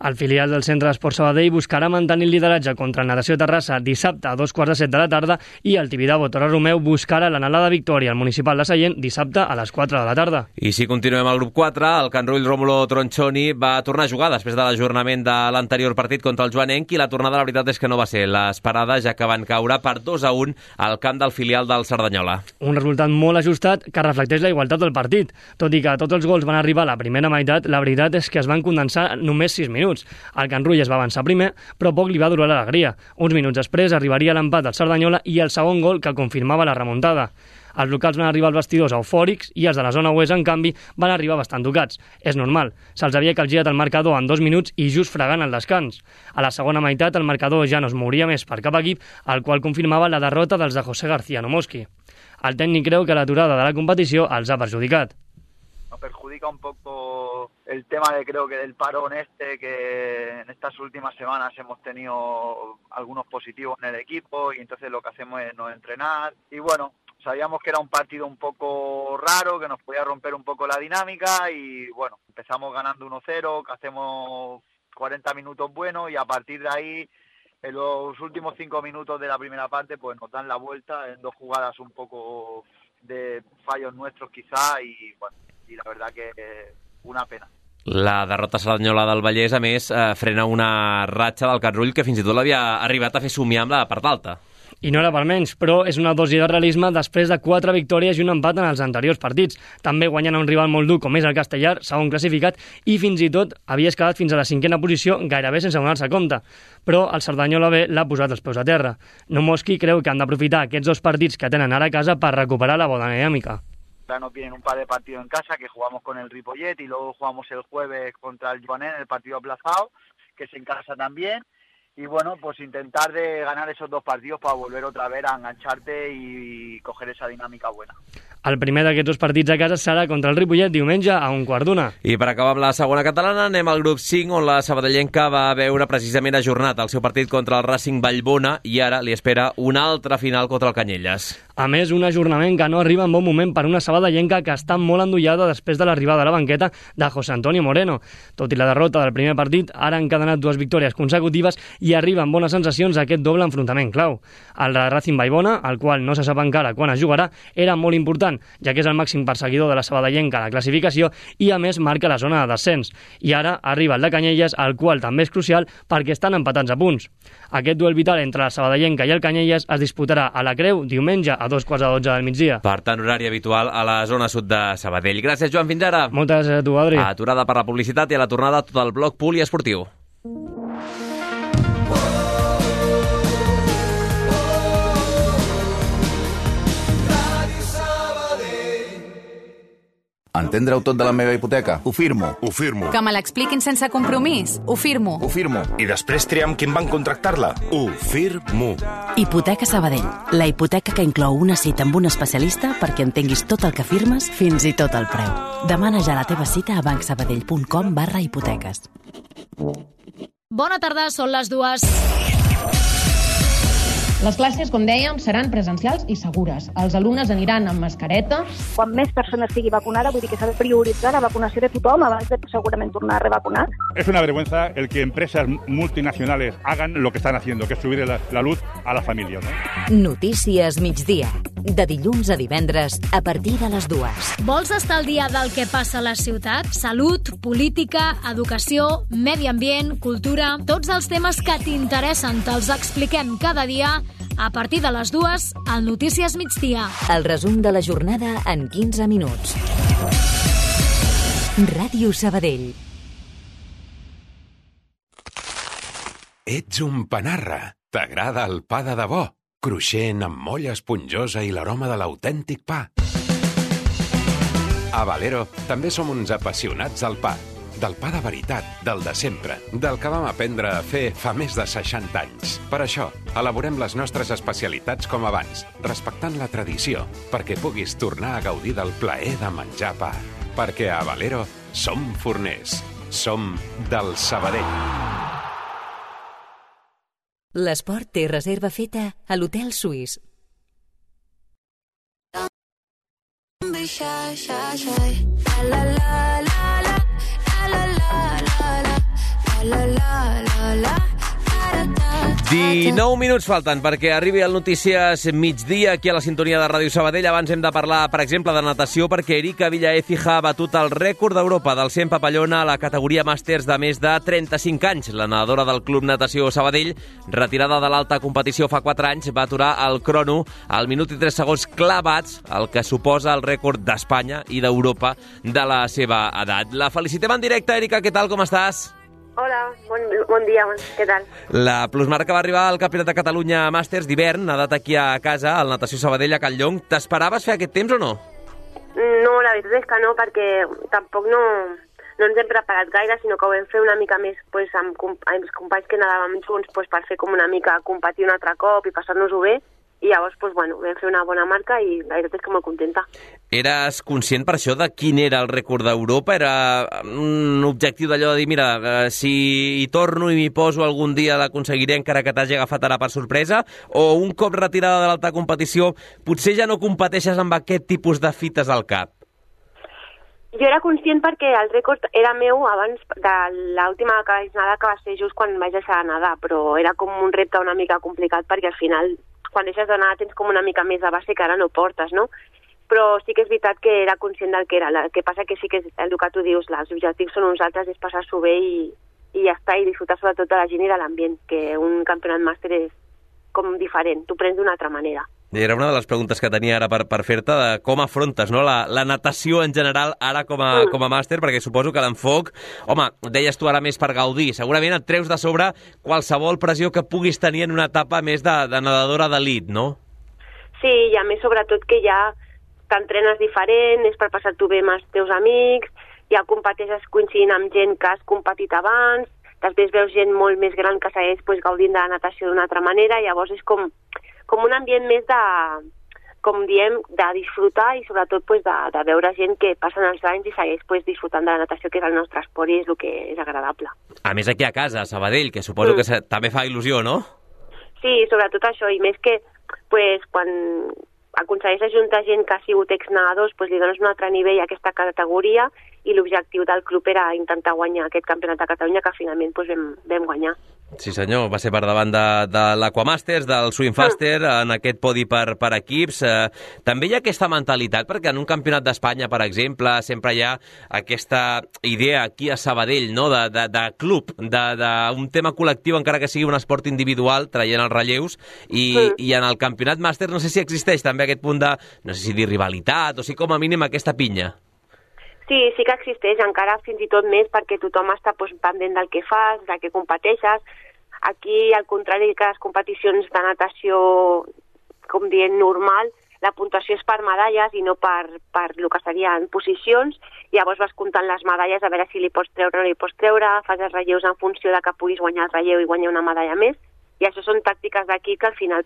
El filial del Centre d'Esports Sabadell buscarà mantenir el lideratge contra el Natació Terrassa dissabte a 2:45 de la tarda i el Tibidabo Torreromeu buscarà l'anhelada victòria al Municipal de Sallent dissabte a les 4 de la tarda. I si continuem al grup 4, el Can Rull Rómulo Tronchoni va tornar a jugar després de l'ajornament de l'anterior partit contra el Joanenc i la tornada, la veritat és que no va ser l'esperada, ja que van caure per 2-1 al camp del filial del Cerdanyola. Un resultat molt ajustat que reflecteix la igualtat del partit. Tot i que tots els gols van arribar a la primera meitat, la veritat és que es van condensar només 6 minuts. El Can Rull es va avançar primer, però poc li va durar l'alegria. Uns minuts després arribaria l'empat del Cerdanyola i el segon gol que confirmava la remuntada. Els locals van arribar als vestidors eufòrics i els de la zona oest, en canvi, van arribar bastant tocats. És normal, se'ls havia calgirat el marcador en 2 minuts i just fregant el descans. A la segona meitat el marcador ja no es mouria més per cap equip, el qual confirmava la derrota dels de José García Nomoski. El tècnic creu que l'aturada de la competició els ha perjudicat. nos perjudica un poco el tema creo que del parón que en estas últimas semanas hemos tenido algunos positivos en el equipo y entonces lo que hacemos es no entrenar y bueno, sabíamos que era un partido un poco raro, que nos podía romper un poco la dinámica y bueno, empezamos ganando 1-0, que hacemos 40 minutos buenos y a partir de ahí, en los últimos 5 minutos de la primera parte, pues nos dan la vuelta en 2 jugadas un poco de fallos nuestros quizá y bueno, y la verdad que una pena. La derrota cerdanyola del Vallès, a més, frena una ratxa del Catrull que fins i tot l'havia arribat a fer somiar amb la part alta. I no era per menys, però és una dosi de realisme després de 4 victòries i un empat en els anteriors partits. També guanyant a un rival molt dur com és el Castellar, segon classificat, i fins i tot havies quedat fins a la 5a posició gairebé sense donar-se compte. Però el Cerdanyola B l'ha posat els peus a terra. Nomoski creu que han d'aprofitar aquests 2 partits que tenen ara a casa per recuperar la bona dinàmica. Nos vienen un par de partidos en casa que jugamos con el Ripollet y luego jugamos el jueves contra el Joanet en el partido aplazado, que es en casa también. Y bueno, pues intentar de ganar esos 2 partidos para volver otra vez a engancharte y coger esa dinámica buena. El primer d'aquests 2 partits a casa serà contra el Ripollet diumenge a 1:15. I per acabar amb la segona catalana anem al grup 5 on la sabadellenca va veure precisament ajornat el seu partit contra el Racing Vallbona i ara li espera una altra final contra el Canyelles. A més, un ajornament que no arriba en bon moment per una sabadellenca que està molt endollada després de l'arribada a la banqueta de José Antonio Moreno. Tot i la derrota del primer partit, ara han encadenat 2 victòries consecutives i arriben bones sensacions a aquest doble enfrontament clau. El de Racing Vallbona, el qual no se sap encara quan es jugarà, era molt important, ja que és el màxim perseguidor de la sabadellenca a la classificació i a més marca la zona de descens. I ara arriba el de Canyelles, el qual també és crucial perquè estan empatats a punts. Aquest duel vital entre la sabadellenca i el Canyelles es disputarà a la Creu diumenge a 2:15 del migdia. Per tant, horari habitual a la zona sud de Sabadell. Gràcies, Joan, fins ara. Moltes gràcies a tu, Adri. Aturada per la publicitat i a la tornada tot el bloc poliesportiu. Entendre-ho tot de la meva hipoteca? Ho firmo. Ho firmo. Que me l'expliquin sense compromís? Ho firmo. Ho firmo. I després triar amb quin banc contractar-la? Ho firmo. Hipoteca Sabadell. La hipoteca que inclou una cita amb un especialista perquè entenguis tot el que firmes, fins i tot el preu. Demana ja la teva cita a bancsabadell.com/hipoteques. Bona tarda, són les 2. Les classes, com dèiem, seran presencials i segures. Els alumnes aniran amb mascareta. Quan més persones estigui vacunada, vull dir que s'ha de prioritzar la vacunació de tothom abans de segurament tornar a revacunar. Es una vergüenza el que empresas multinacionales hagan lo que están haciendo, que es subir la luz a las familias, ¿no? Notícies migdia. De dilluns a divendres, a partir de les 2. Vols estar al dia del que passa a la ciutat? Salut, política, educació, medi ambient, cultura... Tots els temes que t'interessen te'ls expliquem cada dia a partir de les 2 al Notícies migdia. El resum de la jornada en 15 minuts. Ràdio Sabadell. Ets un panarra. T'agrada el pa de debò? Cruixent, amb molla esponjosa i l'aroma de l'autèntic pa. A Valero també som uns apassionats del pa. Del pa de veritat, del de sempre, del que vam aprendre a fer fa més de 60 anys. Per això, elaborem les nostres especialitats com abans, respectant la tradició, perquè puguis tornar a gaudir del plaer de menjar pa. Perquè a Valero som forners. Som del Sabadell. L'esport té reserva feta a l'Hotel Suís. I 9 minuts falten perquè arribi el Notícies migdia aquí a la sintonia de Ràdio Sabadell. Abans hem de parlar, per exemple, de natació perquè Erika Villaécija ha batut el rècord d'Europa del 100 papallona a la categoria màsters de més de 35 anys. La nedadora del Club Natació Sabadell, retirada de l'alta competició fa 4 anys, va aturar el crono al minut i 3 segons clavats, el que suposa el rècord d'Espanya i d'Europa de la seva edat. La felicitem en directe, Erika, què tal, com estàs? Hola, bon dia, què tal? La plusmarca va arribar al Campionat de Catalunya Màsters d'hivern, nedat aquí a casa, al Natació Sabadell a Can Llong. T'esperaves fer aquest temps o no? No, la veritat és que no, perquè tampoc no ens hem preparat gaire, sinó que ho vam fer una mica més amb els companys que nedàvem junts per fer com una mica competir un altre cop i passar-nos-ho bé. I llavors, doncs, bueno, vam fer una bona marca i la veritat és que molt contenta. Eres conscient per això de quin era el rècord d'Europa? Era un objectiu d'allò de dir, mira, si hi torno i m'hi poso algun dia l'aconseguiré encara que t'hagi agafat ara per sorpresa? O un cop retirada de l'alta competició potser ja no competeixes amb aquest tipus de fites al cap? Jo era conscient perquè el rècord era meu abans de l'última nedada que va ser just quan vaig deixar de nedar, però era com un repte una mica complicat perquè al final quan deixes de nedar tens com una mica més de base que ara no portes, no? Però sí que és veritat que era conscient del que era. El que passa que sí que és el que tu dius, els objectius són uns altres, és passar-s'ho bé i ja està, i disfrutar sobretot de la gent i de l'ambient, que un campionat màster és com diferent, tu prens d'una altra manera. Era una de les preguntes que tenia ara per fer-te, de com afrontes, no? la natació en general ara com a màster, perquè suposo que l'enfoc, home, deies tu ara més per gaudir, segurament et treus de sobre qualsevol pressió que puguis tenir en una etapa més de nedadora d'elit, no? Sí, i a més sobretot que ja t'entrenes diferent, és per passar-t'ho bé amb els teus amics, ja competeixes coincidint amb gent que has competit abans, després veus gent molt més gran que segueix gaudint de la natació d'una altra manera, llavors és com un ambient més de, com diem, de disfrutar i sobretot de veure gent que passen els anys i segueix disfrutant de la natació, que és el nostre esport i és el que és agradable. A més aquí a casa, a Sabadell, que suposo que també fa il·lusió, no? Sí, sobretot això, i més que quan aconsegueixes juntar gent que ha sigut exnedadors, li dones un altre nivell a aquesta categoria i l'objectiu del club era intentar guanyar aquest campionat de Catalunya que finalment vam guanyar. Sí senyor, va ser per davant de l'Aquamasters, del Swimfaster, en aquest podi per equips. També hi ha aquesta mentalitat, perquè en un campionat d'Espanya, per exemple, sempre hi ha aquesta idea aquí a Sabadell, no? de club, d'un tema col·lectiu, encara que sigui un esport individual, traient els relleus, i en el campionat màster no sé si existeix també aquest punt de, no sé si dir rivalitat, o si com a mínim aquesta pinya. Sí, sí que existeix, encara fins i tot més, perquè tothom està pendent del que fas, del que competeixes. Aquí, al contrari que les competicions de natació, com dient, normal, la puntuació és per medalles i no per el que serien posicions. Llavors vas comptant les medalles a veure si li pots treure o no li pots treure, fas els relleus en funció de que puguis guanyar el relleu i guanyar una medalla més. I això són tàctiques d'aquí que al final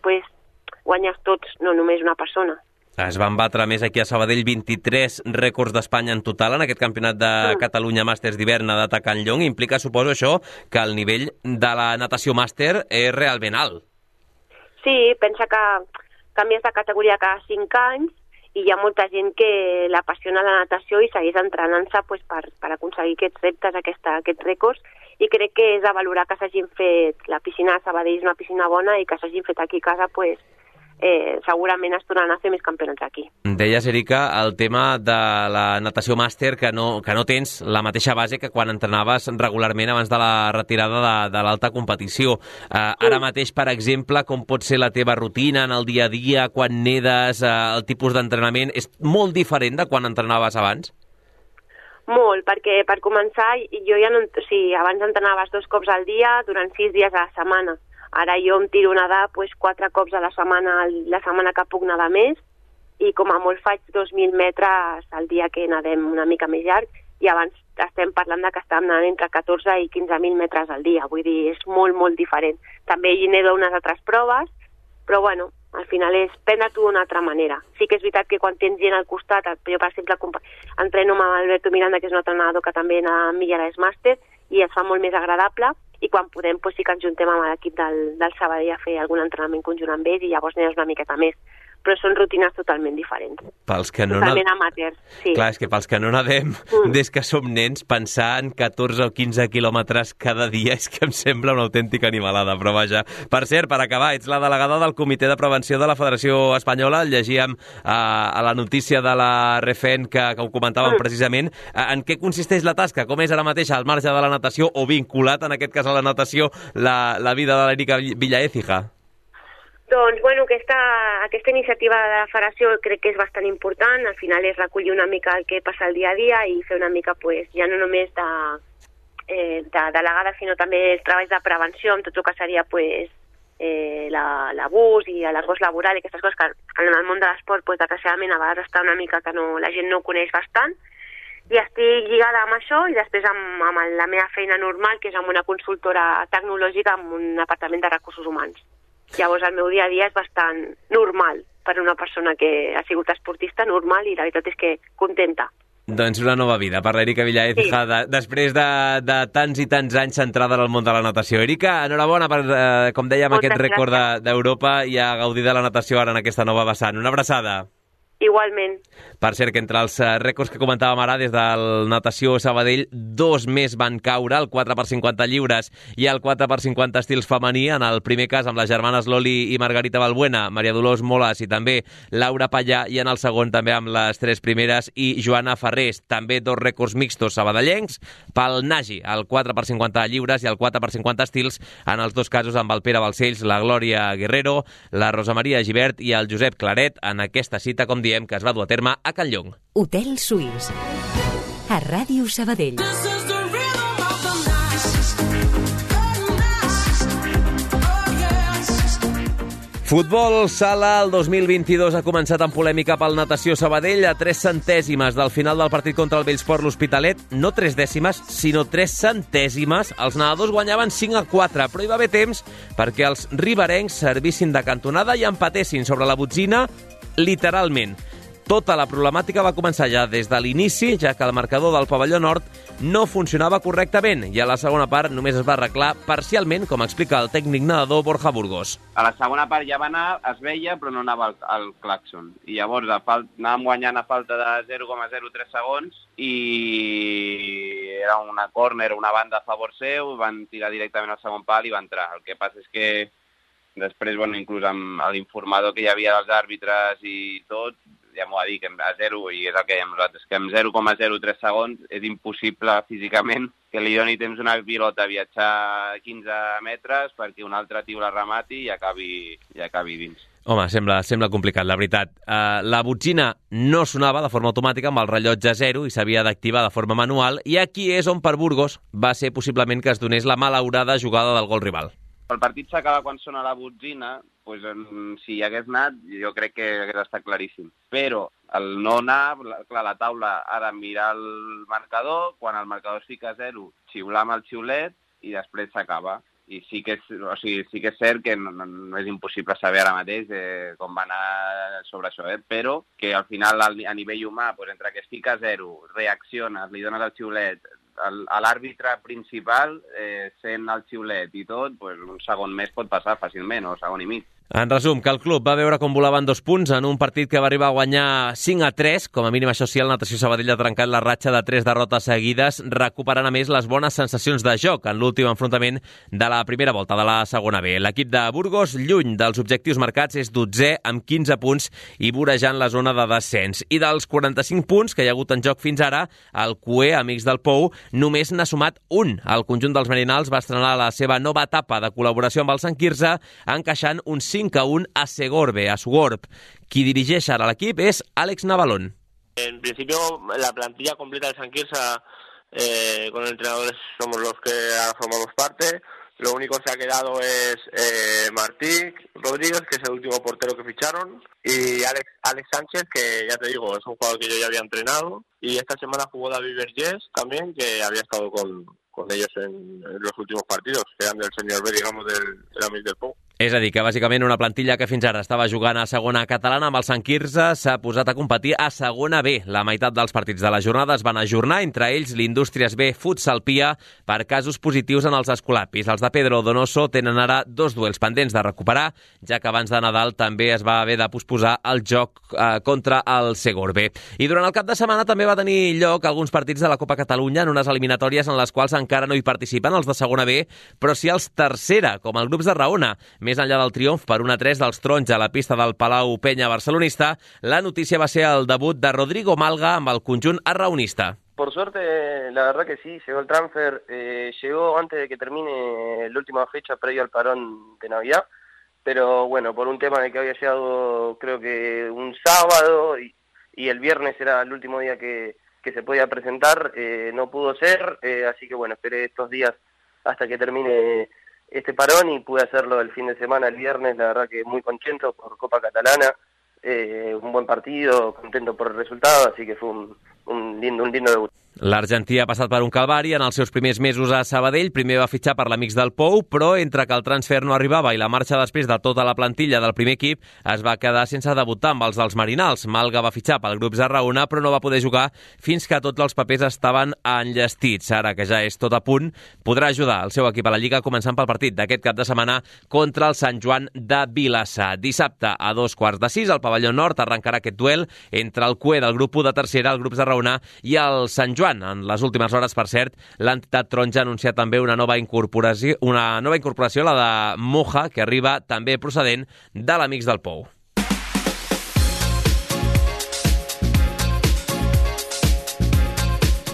guanyes tots, no només una persona. Es van batre més aquí a Sabadell 23 rècords d'Espanya en total en aquest campionat de Catalunya Màsters d'hivern nedat a Can Llong. Implica, suposo, això, que el nivell de la natació màster és realment alt. Sí, pensa que canvies de categoria cada 5 anys i hi ha molta gent que l'apassiona la natació i segueix entrenant-se per aconseguir aquests reptes, aquests rècords, i crec que és de valorar que s'hagin fet, la piscina de Sabadell és una piscina bona i que s'hagin fet aquí a casa, segurament es tornaran a fer més campionats aquí. Deies, Erika, el tema de la natació màster, que no tens la mateixa base que quan entrenaves regularment abans de la retirada de l'alta competició. Ara mateix, per exemple, com pot ser la teva rutina en el dia a dia, quan nedes, el tipus d'entrenament, és molt diferent de quan entrenaves abans? Molt, perquè per començar, jo ja no... Sí, abans entrenaves 2 cops al dia durant 6 dies a la setmana. Ara jo em tiro a nedar 4 cops a la setmana que puc nedar més, i com a molt faig 2.000 metres al dia que nedem una mica més llarg, i abans estem parlant de que estàvem nedant entre 14 i 15.000 metres al dia, vull dir, és molt, molt diferent. També hi nedo unes altres proves, però bueno, al final és prendre-t'ho d'una altra manera. Sí que és veritat que quan tens gent al costat, jo per exemple entreno amb Alberto Miranda, que és un altre nedador que també nada amb mi a l'Esmàster, i es fa molt més agradable, i quan podem sí que ens juntem amb l'equip del Sabadell a fer algun entrenament conjunt amb ells i llavors nedes una miqueta més. Però són rutines totalment diferents. Totalment amateurs, sí. Clar, és que pels que no nedem des que som nens, pensar en 14 o 15 quilòmetres cada dia és que em sembla una autèntica animalada, però vaja. Per cert, per acabar, ets la delegada del Comitè de Prevenció de la Federació Espanyola, llegíem a la notícia de la RFN que ho comentàvem precisament. En què consisteix la tasca? Com és ara mateix al marge de la natació o vinculat, en aquest cas a la natació, la vida de l'Erika Villaécija? Doncs, bueno, aquesta iniciativa de la federació crec que és bastant important. Al final és recollir una mica el que passa el dia a dia i fer una mica, ja no només de delegada, sinó també els treballs de prevenció amb tot el que seria l'abús i l'acost laboral i aquestes coses que en el món de l'esport, desgraciadament, a vegades està una mica que la gent no ho coneix bastant. I estic lligada amb això i després amb la meva feina normal, que és amb una consultora tecnològica amb un departament de recursos humans. Llavors el meu dia a dia és bastant normal per una persona que ha sigut esportista, normal, i la veritat és que contenta. Doncs una nova vida per l'Erika Villaécija, després de tants i tants anys centrada en el món de la natació. Erika, enhorabona per, com dèiem, aquest rècord d'Europa i a gaudir de la natació ara en aquesta nova vessant. Una abraçada. Igualment. Per cert, que entre els rècords que comentàvem ara, des del Natació Sabadell, 2 més van caure, el 4x50 lliures i el 4x50 estils femení, en el primer cas amb les germanes Loli i Margarita Balbuena, Maria Dolors Moles i també Laura Pallà, i en el segon també amb les 3 primeres i Joana Ferrés. També 2 rècords mixtos sabadellencs pel Nagi, el 4x50 lliures i el 4x50 estils, en els 2 casos amb el Pere Balcells, la Glòria Guerrero, la Rosa Maria Gibert i el Josep Claret, en aquesta cita, com diem, que es va dur a terme a Can Llong. Hotel Suís, a Ràdio Sabadell. Futbol sala, el 2022 ha començat amb polèmica pel Natació Sabadell a 3 centèsimes del final del partit contra el Bellsport l'Hospitalet. No 3 dècimes, sinó 3 centèsimes. Els nedadors guanyaven 5-4, però hi va haver temps perquè els riberencs servissin de cantonada i empatessin sobre la botzina literalment. Tota la problemàtica va començar ja des de l'inici, ja que el marcador del pavelló nord no funcionava correctament i a la segona part només es va arreglar parcialment, com explica el tècnic nedador Borja Burgos. A la segona part ja va anar, es veia, però no anava al clàxon. I llavors anàvem guanyant a falta de 0,03 segons i era una córner, una banda a favor seu, van tirar directament al segon pal i va entrar. El que passa és que després, inclús amb l'informador que hi havia dels àrbitres i tot, ja m'ho va dir, que a 0, i és el que dèiem nosaltres, que amb 0,03 segons és impossible físicament que li doni temps una pilota a viatjar 15 metres perquè un altre tio la remati i acabi dins. Home, sembla complicat, la veritat. La botzina no sonava de forma automàtica amb el rellotge 0 i s'havia d'activar de forma manual, i aquí és on per Burgos va ser possiblement que es donés la malaurada jugada del gol rival. El partit s'acaba quan sona la botzina, si hi hagués anat, jo crec que hagués estat claríssim. Però el no anar, clar, la taula ha de mirar el marcador, quan el marcador es fica a 0, xiular amb el xiulet i després s'acaba. I sí que és cert que no és impossible saber ara mateix com va anar sobre això, però que al final a nivell humà, entre que es fica a 0, reacciones, li dones el xiulet, a l'àrbitre principal, sent el xiulet i tot, un segon més pot passar fàcilment, o segon i mig. En resum, que el club va veure com volaven 2 punts en un partit que va arribar a guanyar 5-3, com a mínim això sí, el Natació Sabadell ha trencat la ratxa de 3 derrotes seguides, recuperant a més les bones sensacions de joc en l'últim enfrontament de la primera volta de la segona B. L'equip de Burgos, lluny dels objectius marcats, és 12è amb 15 punts i vorejant la zona de descens. I dels 45 punts que hi ha hagut en joc fins ara, el CUE, Amics del Pou, només n'ha sumat un. El conjunt dels Merinals va estrenar la seva nova etapa de col·laboració amb el Sant Quirze, encaixant un 5-1 a Segorbe, a Sugorb. Qui dirigeix ara l'equip és Àlex Navalón. En principio, la plantilla completa del Sant Quirze, con entrenadores somos los que ahora formamos parte. Lo único que se ha quedado es Martí Rodríguez, que es el último portero que ficharon, y Alex Sánchez, que ya te digo, es un jugador que yo ya había entrenado, y esta semana jugó David Vergés también, que había estado con ellos en los últimos partidos, que eran del senior B, digamos, del Amics del Pou. És a dir, que bàsicament una plantilla que fins ara estava jugant a segona catalana amb el Sant Quirze s'ha posat a competir a segona B. La meitat dels partits de la jornada es van ajornar, entre ells l'Indústries B Futsal Pia, per casos positius en els escolapis. Els de Pedro Donoso tenen ara 2 duels pendents de recuperar, ja que abans de Nadal també es va haver de posposar el joc contra el Segorbe. I durant el cap de setmana també va tenir lloc alguns partits de la Copa Catalunya en unes eliminatòries en les quals encara no hi participen els de segona B, però sí els tercera, com el Grups de Raona. Més enllà del triomf per 1-3 dels Taronja a la pista del Palau Penya barcelonista, la notícia va ser el debut de Rodrigo Malga amb el conjunt arraonista. Por suerte, la verdad que sí, llegó el transfer, llegó antes de que termine la última fecha previo al parón de Navidad, pero bueno, por un tema de que había llegado creo que un sábado y el viernes era el último día que se podía presentar, no pudo ser, así que bueno, esperé estos días hasta que termine este parón y pude hacerlo el fin de semana, el viernes, la verdad que muy contento por Copa Catalana, un buen partido, contento por el resultado, así que fue un lindo debut. L'argentí ha passat per un calvari en els seus primers mesos a Sabadell. Primer va fitxar per l'Amics del Pou, però entre que el transfer no arribava i la marxa després de tota la plantilla del primer equip es va quedar sense debutar amb els dels Marinals. Malga va fitxar pel grup Zarraona, però no va poder jugar fins que tots els papers estaven enllestits. Ara que ja és tot a punt, podrà ajudar el seu equip a la Lliga començant pel partit d'aquest cap de setmana contra el Sant Joan de Vilassar. Dissabte a 5:15 al pavelló nord arrencarà aquest duel entre el CUE del grup 1 de tercera, el grup Zarraona, i el Sant Joan. En les últimes hores, per cert, l'entitat taronja ha anunciat també una nova incorporació, la de Moja, que arriba també procedent de l'Amics del Pou.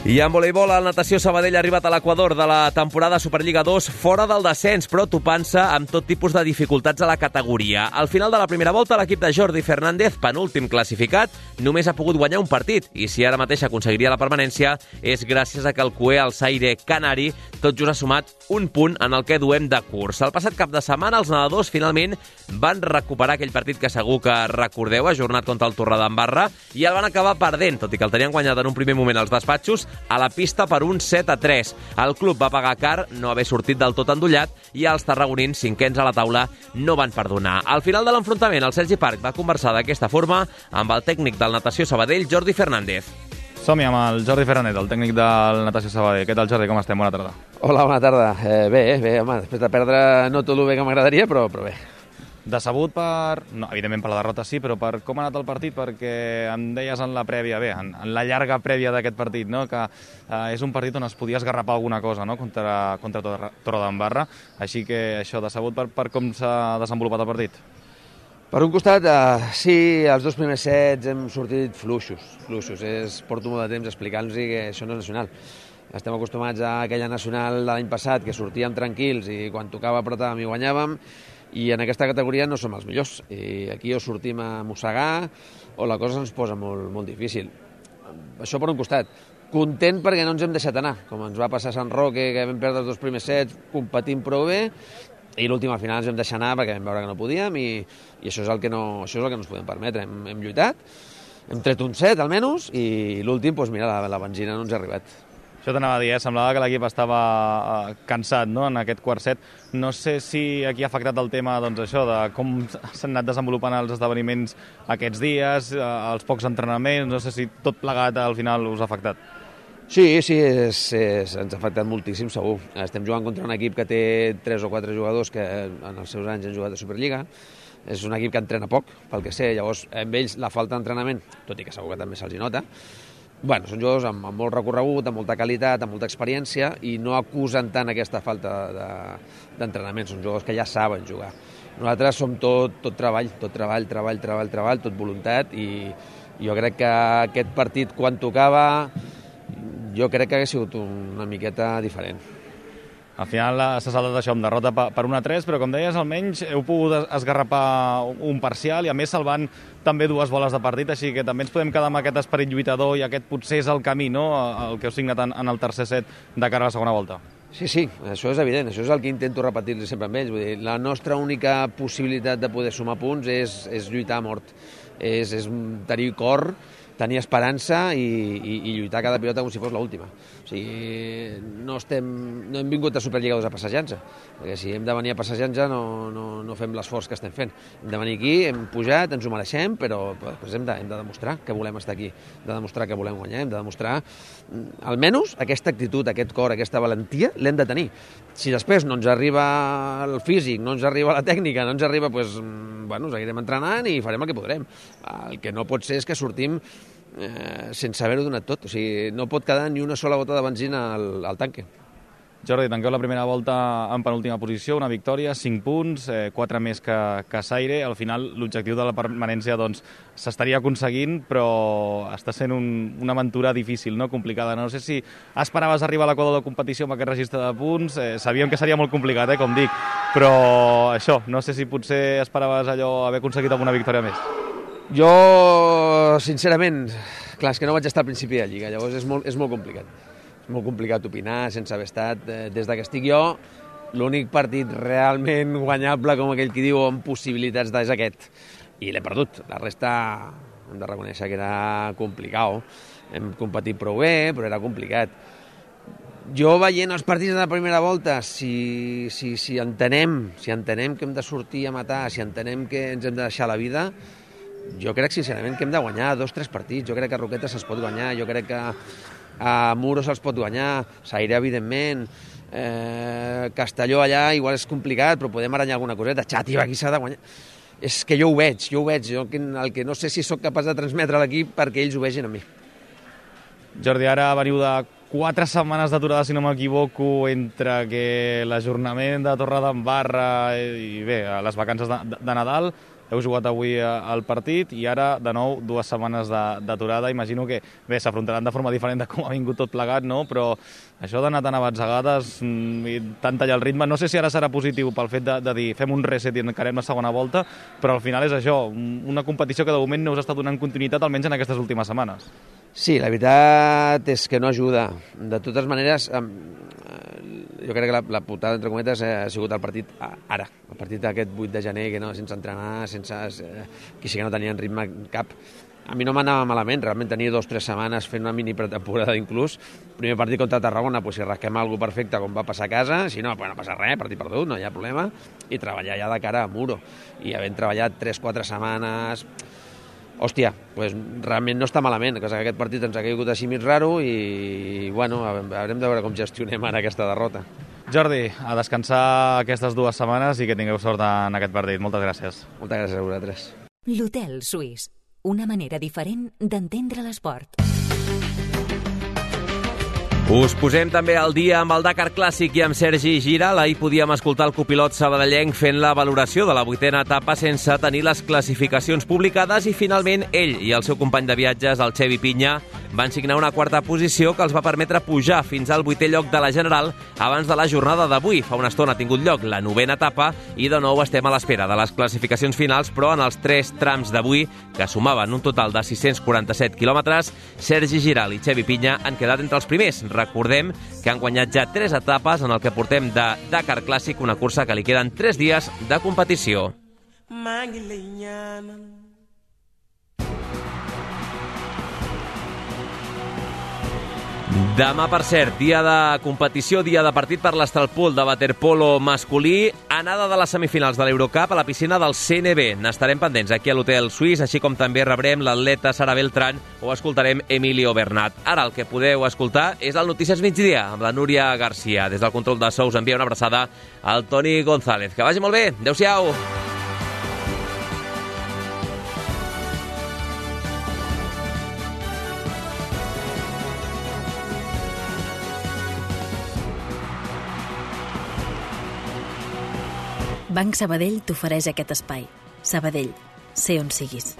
I en voleibol, el Natació Sabadell ha arribat a l'equador de la temporada Superliga 2 fora del descens, però topant-se amb tot tipus de dificultats a la categoria. Al final de la primera volta, l'equip de Jordi Fernández, penúltim classificat, només ha pogut guanyar un partit, i si ara mateix aconseguiria la permanència és gràcies a que el CUE, el Zaire Canari, tot just ha sumat un punt en el que duem de curs. El passat cap de setmana, els nedadors finalment van recuperar aquell partit que segur que recordeu, ajornat contra el Torredembarra, i el van acabar perdent, tot i que el tenien guanyat en un primer moment als despatxos, a la pista per un 7-3. El club va pagar car no haver sortit del tot endollat i els tarragonins, cinquens a la taula, no van perdonar. Al final de l'enfrontament, el Sergi Parc va conversar d'aquesta forma amb el tècnic del Natació Sabadell, Jordi Fernández. Som-hi amb el Jordi Fernández, el tècnic del Natació Sabadell. Què tal, Jordi? Com estem? Bona tarda. Hola, bona tarda. Bé, home, després de perdre no tot el bé que m'agradaria, però bé. Decebut no, evidentment per la derrota sí, però per com ha anat el partit, perquè em deies en la prèvia, en la llarga prèvia d'aquest partit, no? Que és un partit on es podia esgarrapar alguna cosa, no? contra Torredembarra, així que això, decebut per com s'ha desenvolupat el partit. Per un costat, sí, els dos primers sets hem sortit fluixos. Porto molt de temps explicant-los que això no és nacional. Estem acostumats a aquella nacional de l'any passat, que sortíem tranquils i quan tocava apretàvem i guanyàvem, i en aquesta categoria no som els millors. I aquí o sortim a mossegar o la cosa ens posa molt, molt difícil. Això per un costat. Content perquè no ens hem deixat anar, com ens va passar a Sant Roque, que vam perdre els dos primers sets, competint prou bé, i l'última final ens vam deixar anar perquè vam veure que no podíem, i això és el que no ens podem permetre. Hem lluitat, hem tret un set almenys, i l'últim, doncs mira, la benzina no ens ha arribat. Això t'anava a dir, semblava que l'equip estava cansat, no?, en aquest quart set. No sé si aquí ha afectat el tema, doncs, això, de com s'han anat desenvolupant els esdeveniments aquests dies, els pocs entrenaments, no sé si tot plegat al final us ha afectat. Sí, ens ha afectat moltíssim, segur. Estem jugant contra un equip que té 3 o 4 jugadors que en els seus anys han jugat a Superliga. És un equip que entrena poc, pel que sé, llavors amb ells la falta d'entrenament, tot i que segur que també se'ls nota. Bueno, són jugadors amb molt recorregut, amb molta qualitat, amb molta experiència, i no acusen tant aquesta falta d'entrenament. Són jugadors que ja saben jugar. Nosaltres som tot treball, tot voluntat, i jo crec que aquest partit, quan tocava, jo crec que hauria sigut una miqueta diferent. Al final s'ha saltat això amb derrota per 1-3, però com deies, almenys heu pogut esgarrapar un parcial i a més salvant també 2 boles de partit, així que també ens podem quedar amb aquest esperit lluitador i aquest potser és el camí, no?, el que heu signat en el tercer set de cara a la segona volta. Sí, això és evident, això és el que intento repetir-li sempre amb ells. Vull dir, la nostra única possibilitat de poder sumar punts és lluitar a mort, és tenir cor, tenir esperança i lluitar cada pilota com si fos l'última. O sigui, no hem vingut a Superliga 2 a passejar-nos, perquè si hem de venir a passejar-nos no fem l'esforç que estem fent. Hem de venir aquí, hem pujat, ens ho mereixem, però després hem de demostrar que volem estar aquí, hem de demostrar que volem guanyar, hem de demostrar almenys aquesta actitud, aquest cor, aquesta valentia, l'hem de tenir. Si després no ens arriba el físic, no ens arriba la tècnica, no ens arriba, doncs, seguirem entrenant i farem el que podrem. El que no pot ser és que sortim sense haver-ho donat tot. O sigui, no pot quedar ni una sola gota de benzina al tanque. Jordi, tanqueu la primera volta en penúltima posició, una victòria, 5 punts, 4 més que Zaire. Al final, l'objectiu de la permanència s'estaria aconseguint, però està sent una aventura difícil, no? Complicada. No sé si esperaves arribar a l'equador de competició amb aquest registre de punts. Sabíem que seria molt complicat, com dic, però això, no sé si potser esperaves haver aconseguit alguna victòria més. Jo, sincerament, clar, és que no vaig estar al principi de Lliga, llavors és molt complicat. És molt complicat opinar sense haver estat. Des que estic jo, l'únic partit realment guanyable, com aquell qui diu, amb possibilitats és aquest. I l'he perdut. La resta hem de reconèixer que era complicat. hem competit prou bé, però era complicat. Jo veient els partits de la primera volta, si entenem que hem de sortir a matar, si entenem que ens hem de deixar la vida, jo crec sincerament que hem de guanyar 2 o 3 partits. Jo crec que a Roquetes se'ls pot guanyar, jo crec que a Muro se'ls pot guanyar, Sairé, evidentment, Castelló allà igual és complicat, però podem aranyar alguna coseta. Xàtiva, aquí s'ha de guanyar. És que jo ho veig. Jo el que no sé si sóc capaç de transmetre a l'equip perquè ells ho vegin a mi. Jordi, ara veniu de 4 setmanes d'aturada, si no m'equivoco, entre que l'ajornament de Torredembarra i bé, les vacances de Nadal. Heu jugat avui al partit i ara, de nou, 2 setmanes d'aturada. Imagino que, bé, s'afrontaran de forma diferent de com ha vingut tot plegat, no? Però això d'anar tan a batzegades i tant tallar el ritme, no sé si ara serà positiu pel fet de dir fem un reset i encarem la segona volta, però al final és això, una competició que de moment no us està donant continuïtat, almenys en aquestes últimes setmanes. Sí, la veritat és que no ajuda. De totes maneres, jo crec que la putada, entre cometes, ha sigut el partit ara, el partit aquest 8 de gener, que no, sense entrenar, que sí que no tenien ritme cap. A mi no m'anava malament, realment tenia 2 o 3 setmanes fent una mini pretemporada inclús. Primer partit contra Tarragona, si rasquem alguna cosa perfecte com va passar a casa, si no, no passa res, partit perdut, no hi ha problema, i treballar ja de cara a Muro. I havent treballat 3 o 4 setmanes... Hòstia, realment no està malament, que aquest partit ens ha caigut així mig raro i, bueno, haurem de veure com gestionem ara aquesta derrota. Jordi, a descansar aquestes 2 setmanes i que tingueu sort en aquest partit. Moltes gràcies. Moltes gràcies a vosaltres. L'Hotel Suís, una manera diferent d'entendre l'esport. Us posem també al dia amb el Dakar Clàssic i amb Sergi Giral. Ahir podíem escoltar el copilot sabadellenc fent la valoració de la 8a etapa sense tenir les classificacions publicades i finalment ell i el seu company de viatges, el Xevi Pinya, van signar una 4a posició que els va permetre pujar fins al 8è lloc de la general abans de la jornada d'avui. Fa una estona ha tingut lloc la 9a etapa i de nou estem a l'espera de les classificacions finals, però en els 3 trams d'avui, que sumaven un total de 647 quilòmetres, Sergi Giral i Xevi Pinya han quedat entre els primers. Recordem que han guanyat ja 3 etapes en el que portem de Dakar Clàssic, una cursa que li queden 3 dies de competició. Demà, per cert, dia de competició, dia de partit per l'Estralpool de waterpolo masculí, anada de les semifinals de l'Eurocup a la piscina del CNB. N'estarem pendents aquí a l'Hotel Suís, així com també rebrem l'atleta Sara Beltrán o escoltarem Emilio Bernat. Ara el que podeu escoltar és el Notícies Migdia amb la Núria Garcia. Des del control de so us envia una abraçada al Toni González. Que vagi molt bé. Adéu-siau. Banc Sabadell t'ofereix aquest espai. Sabadell, sé on siguis.